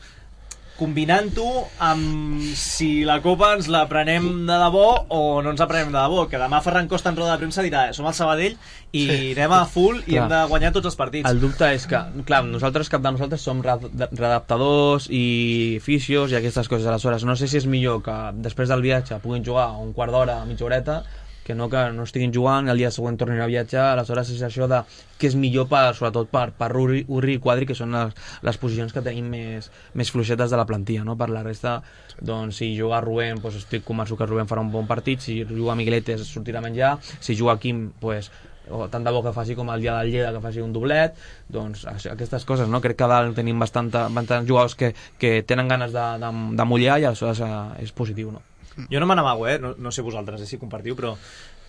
combinant-ho amb si la Copa ens la prenem de debò o no ens la prenem de debò, que demà Ferran Costa en roda de premsa dirà, som el Sabadell i Sí. anem a full i Clar. hem de guanyar tots els partits. El dubte és que, clar, nosaltres, cap de nosaltres som re- redactadors i fisios i aquestes coses. Aleshores, no sé si és millor que després del viatge puguin jugar un quart d'hora, mitja horeta, que no que no estiguin jugant i el dia següent tornin a viatjar. Aleshores és això de que és millor per, sobretot per, per Urri, Urri i Quadri, que són les, les posicions que tenim més, més fluixetes de la plantilla, no? Per la resta, doncs si juga Rubén, doncs estic convençut que Rubén farà un bon partit, si juga Miguelete sortirà a menjar, si juga Quim, doncs o tant de bo que faci com el dia del Lleida, que faci un doblet, doncs això, aquestes coses, no? Crec que a dalt tenim bastanta, bastants jugadors que, que tenen ganes de, de, de mullar i aleshores eh, és positiu, no? Jo no me n'amago, eh? No, no sé vosaltres, eh, si compartiu, però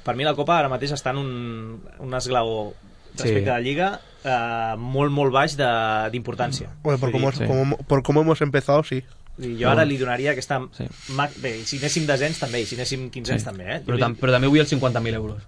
per mi la Copa ara mateix està en un, un esglaó respecte Sí. a la Lliga eh, molt, molt baix de- d'importància. Bueno, por, Vull cómo, dir, como- por cómo hemos empezado, sí. i jo ara li donaria aquesta... Sí. ma- Bé, i si anéssim desens també, i si anéssim quinzens Sí. també, eh? Però, tam però també vull els cinquanta mil euros.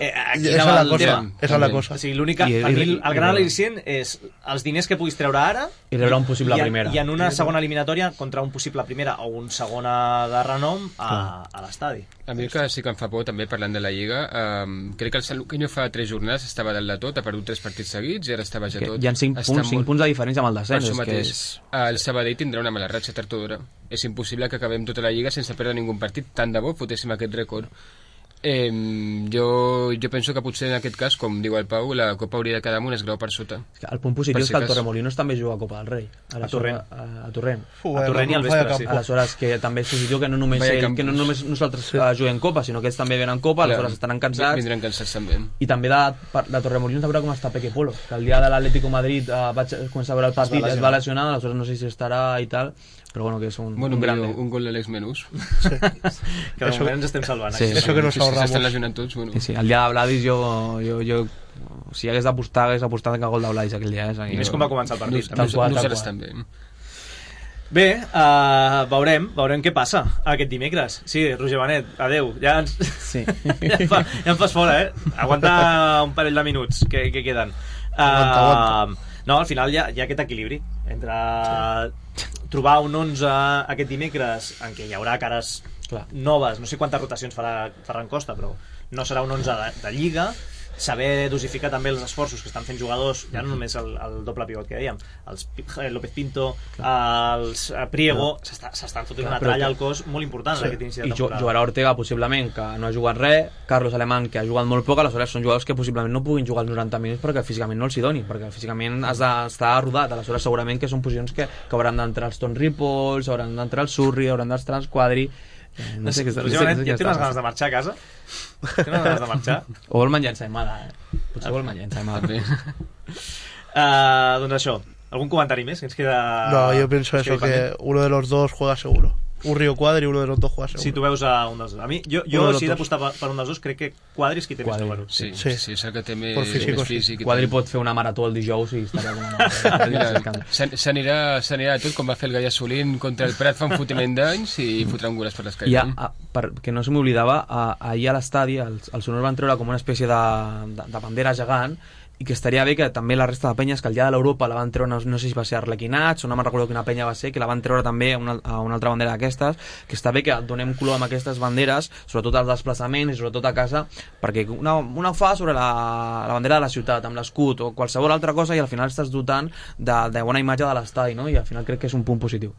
Eh, aquí Esa anava es la el cosa, tema. esa es la cosa. O sigui, l'única... I- Per i- mi, el, i- el gran i- al·licient és els diners que puguis treure ara I rebre un possible i en, primera. i en una segona eliminatòria contra un possible primera o un segona de renom a, a l'estadi. A mi el que sí que em fa por, també parlant de la Lliga, um, crec que el Sant Luqueño fa tres jornades estava dalt de tot, ha perdut tres partits seguits i ara està baix a Que tot. hi ha cinc Està punts, cinc molt- punts de diferència amb el Per descens. això És que mateix, és... el Sabadell tindrà una mala ratxa tard o d'hora. És impossible que acabem tota la Lliga sense perdre ningú partit. Tant de bo fotéssim aquest rècord. Eh, jo, jo penso que potser en aquest cas, com diu el Pau, la Copa hauria de quedar amb un esglau per sota. El punt positiu Per és si que el cas. Torremolinos també juga a Copa del Rei. A Torrent. A, a Torrent. Fu, A Torrent i al vaya vespre, sí. campo. Aleshores, que també és positiu que no només, Vaya ell, campus. que no només nosaltres sí. juguem Copa, sinó que ells també venen Copa, aleshores estaran cansats. Vindran cansats també. I també de, per- de Torremolinos a veure com està Peque Polo, que el dia de l'Atlético Madrid eh, vaig començar a veure el partit, Es va es va lesionar, aleshores no sé si estarà i tal, però bueno, que és un, Bueno, un gran... un, un gol de l'Alex Menús. Que de Eso- moment ens estem salvant. Sí, aquí. Eso que nos Sí, sí, ahorramos. s'estan lesionant tots. Bueno. Sí, sí, el dia de Vladis jo, jo, jo si hagués d'apostar, hagués apostat que gol de Vladis aquell dia. Eh? I més com va començar el partit. Tal Nos- qual, tal nosaltres qual. també. Bé, uh, veurem, veurem què passa aquest dimecres. Sí, Roger Benet, adeu. Ja, ens... Sí. ja, em fa, ja em fas fora, eh? Aguanta un parell de minuts que, que queden. Uh, Aguanta, aguanta. No, al final hi ha, hi ha aquest equilibri entre trobar un onze aquest dimecres en què hi haurà cares Clar. noves, no sé quantes rotacions farà Ferran Costa, però no serà un onze de, de Lliga, saber dosificar també els esforços que estan fent jugadors, ja no només el, el doble pivot que dèiem, els López Pinto, els Priego, s'estan fotent una tralla al cos molt important en aquest inici de temporada. I jugarà Ortega, possiblement, que no ha jugat res, Carlos Alemán, que ha jugat molt poc, aleshores són jugadors que possiblement no puguin jugar els noranta minuts perquè físicament no els hi doni, perquè físicament has d'estar rodat, aleshores segurament que són posicions que, que hauran d'entrar els Ton Ripoll, hauran d'entrar el Surri, hauran d'entrar els Quadri. Eh, no sé què no sé, no sé, ja té unes ganes de marxar a casa? Té unes ganes de marxar? O vol menjar ensaïmada, eh? Potser vol menjar ensaïmada. uh, doncs això, algun comentari més? Que ens queda... No, yo pienso eso, que uno de los dos juega seguro. Un Río Quadri, uno de los dos juega seguro. Si tu veus a un dels dos. A mi, jo, jo si he d'apostar per un dels dos, crec que Quadri és qui té Quadri. més número. Sí, sí, sí, és el que té més, físic, més físic. Quadri pot fer una marató el dijous i estaria com una... S'anirà tot com va fer el Gaia Solín contra el Prat fa un fotiment d'anys i fotrà un goles per l'escaire. Ja, a, per, que no se m'oblidava, ahir a l'estadi els, els sonors van treure com una espècie de, de, de bandera gegant, i que estaria bé que també la resta de penyes, que el dia de l'Europa la van treure, no, no sé si va ser Arlequinats o no me'n recordo quina penya va ser, que la van treure també a una, a una altra bandera d'aquestes, que està bé que donem color amb aquestes banderes, sobretot als desplaçaments i sobretot a casa, perquè una, una ho fa sobre la, la bandera de la ciutat, amb l'escut o qualsevol altra cosa, i al final estàs dotant de, de bona imatge de l'estadi, no? I al final crec que és un punt positiu.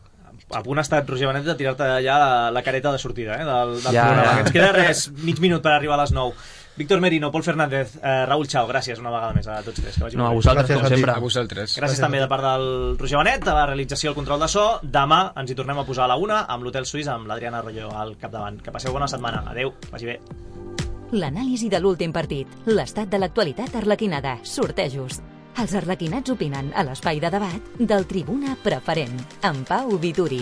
A punt ha estat Roger Benet de tirar-te ja la, la careta de sortida, eh, del, del ja, programa. Ja. Ens queda res, mig minut per arribar a les nou. Víctor Merino, Pol Fernández, eh, Raúl Chao, gràcies una vegada més a tots tres. Que no, a vosaltres, gràcies com a sempre. A vosaltres. Gràcies, gràcies també de part del Roger Benet, a la realització i el control de so. Demà ens hi tornem a posar a la una amb l'Hotel Suís, amb l'Adriana Arroyo al capdavant. Que passeu bona setmana. Adeu, vagi bé. L'anàlisi de l'últim partit, l'estat de l'actualitat arlequinada, sortejos. Els arlequinats opinen a l'espai de debat del Tribuna Preferent, amb Pau Vituri.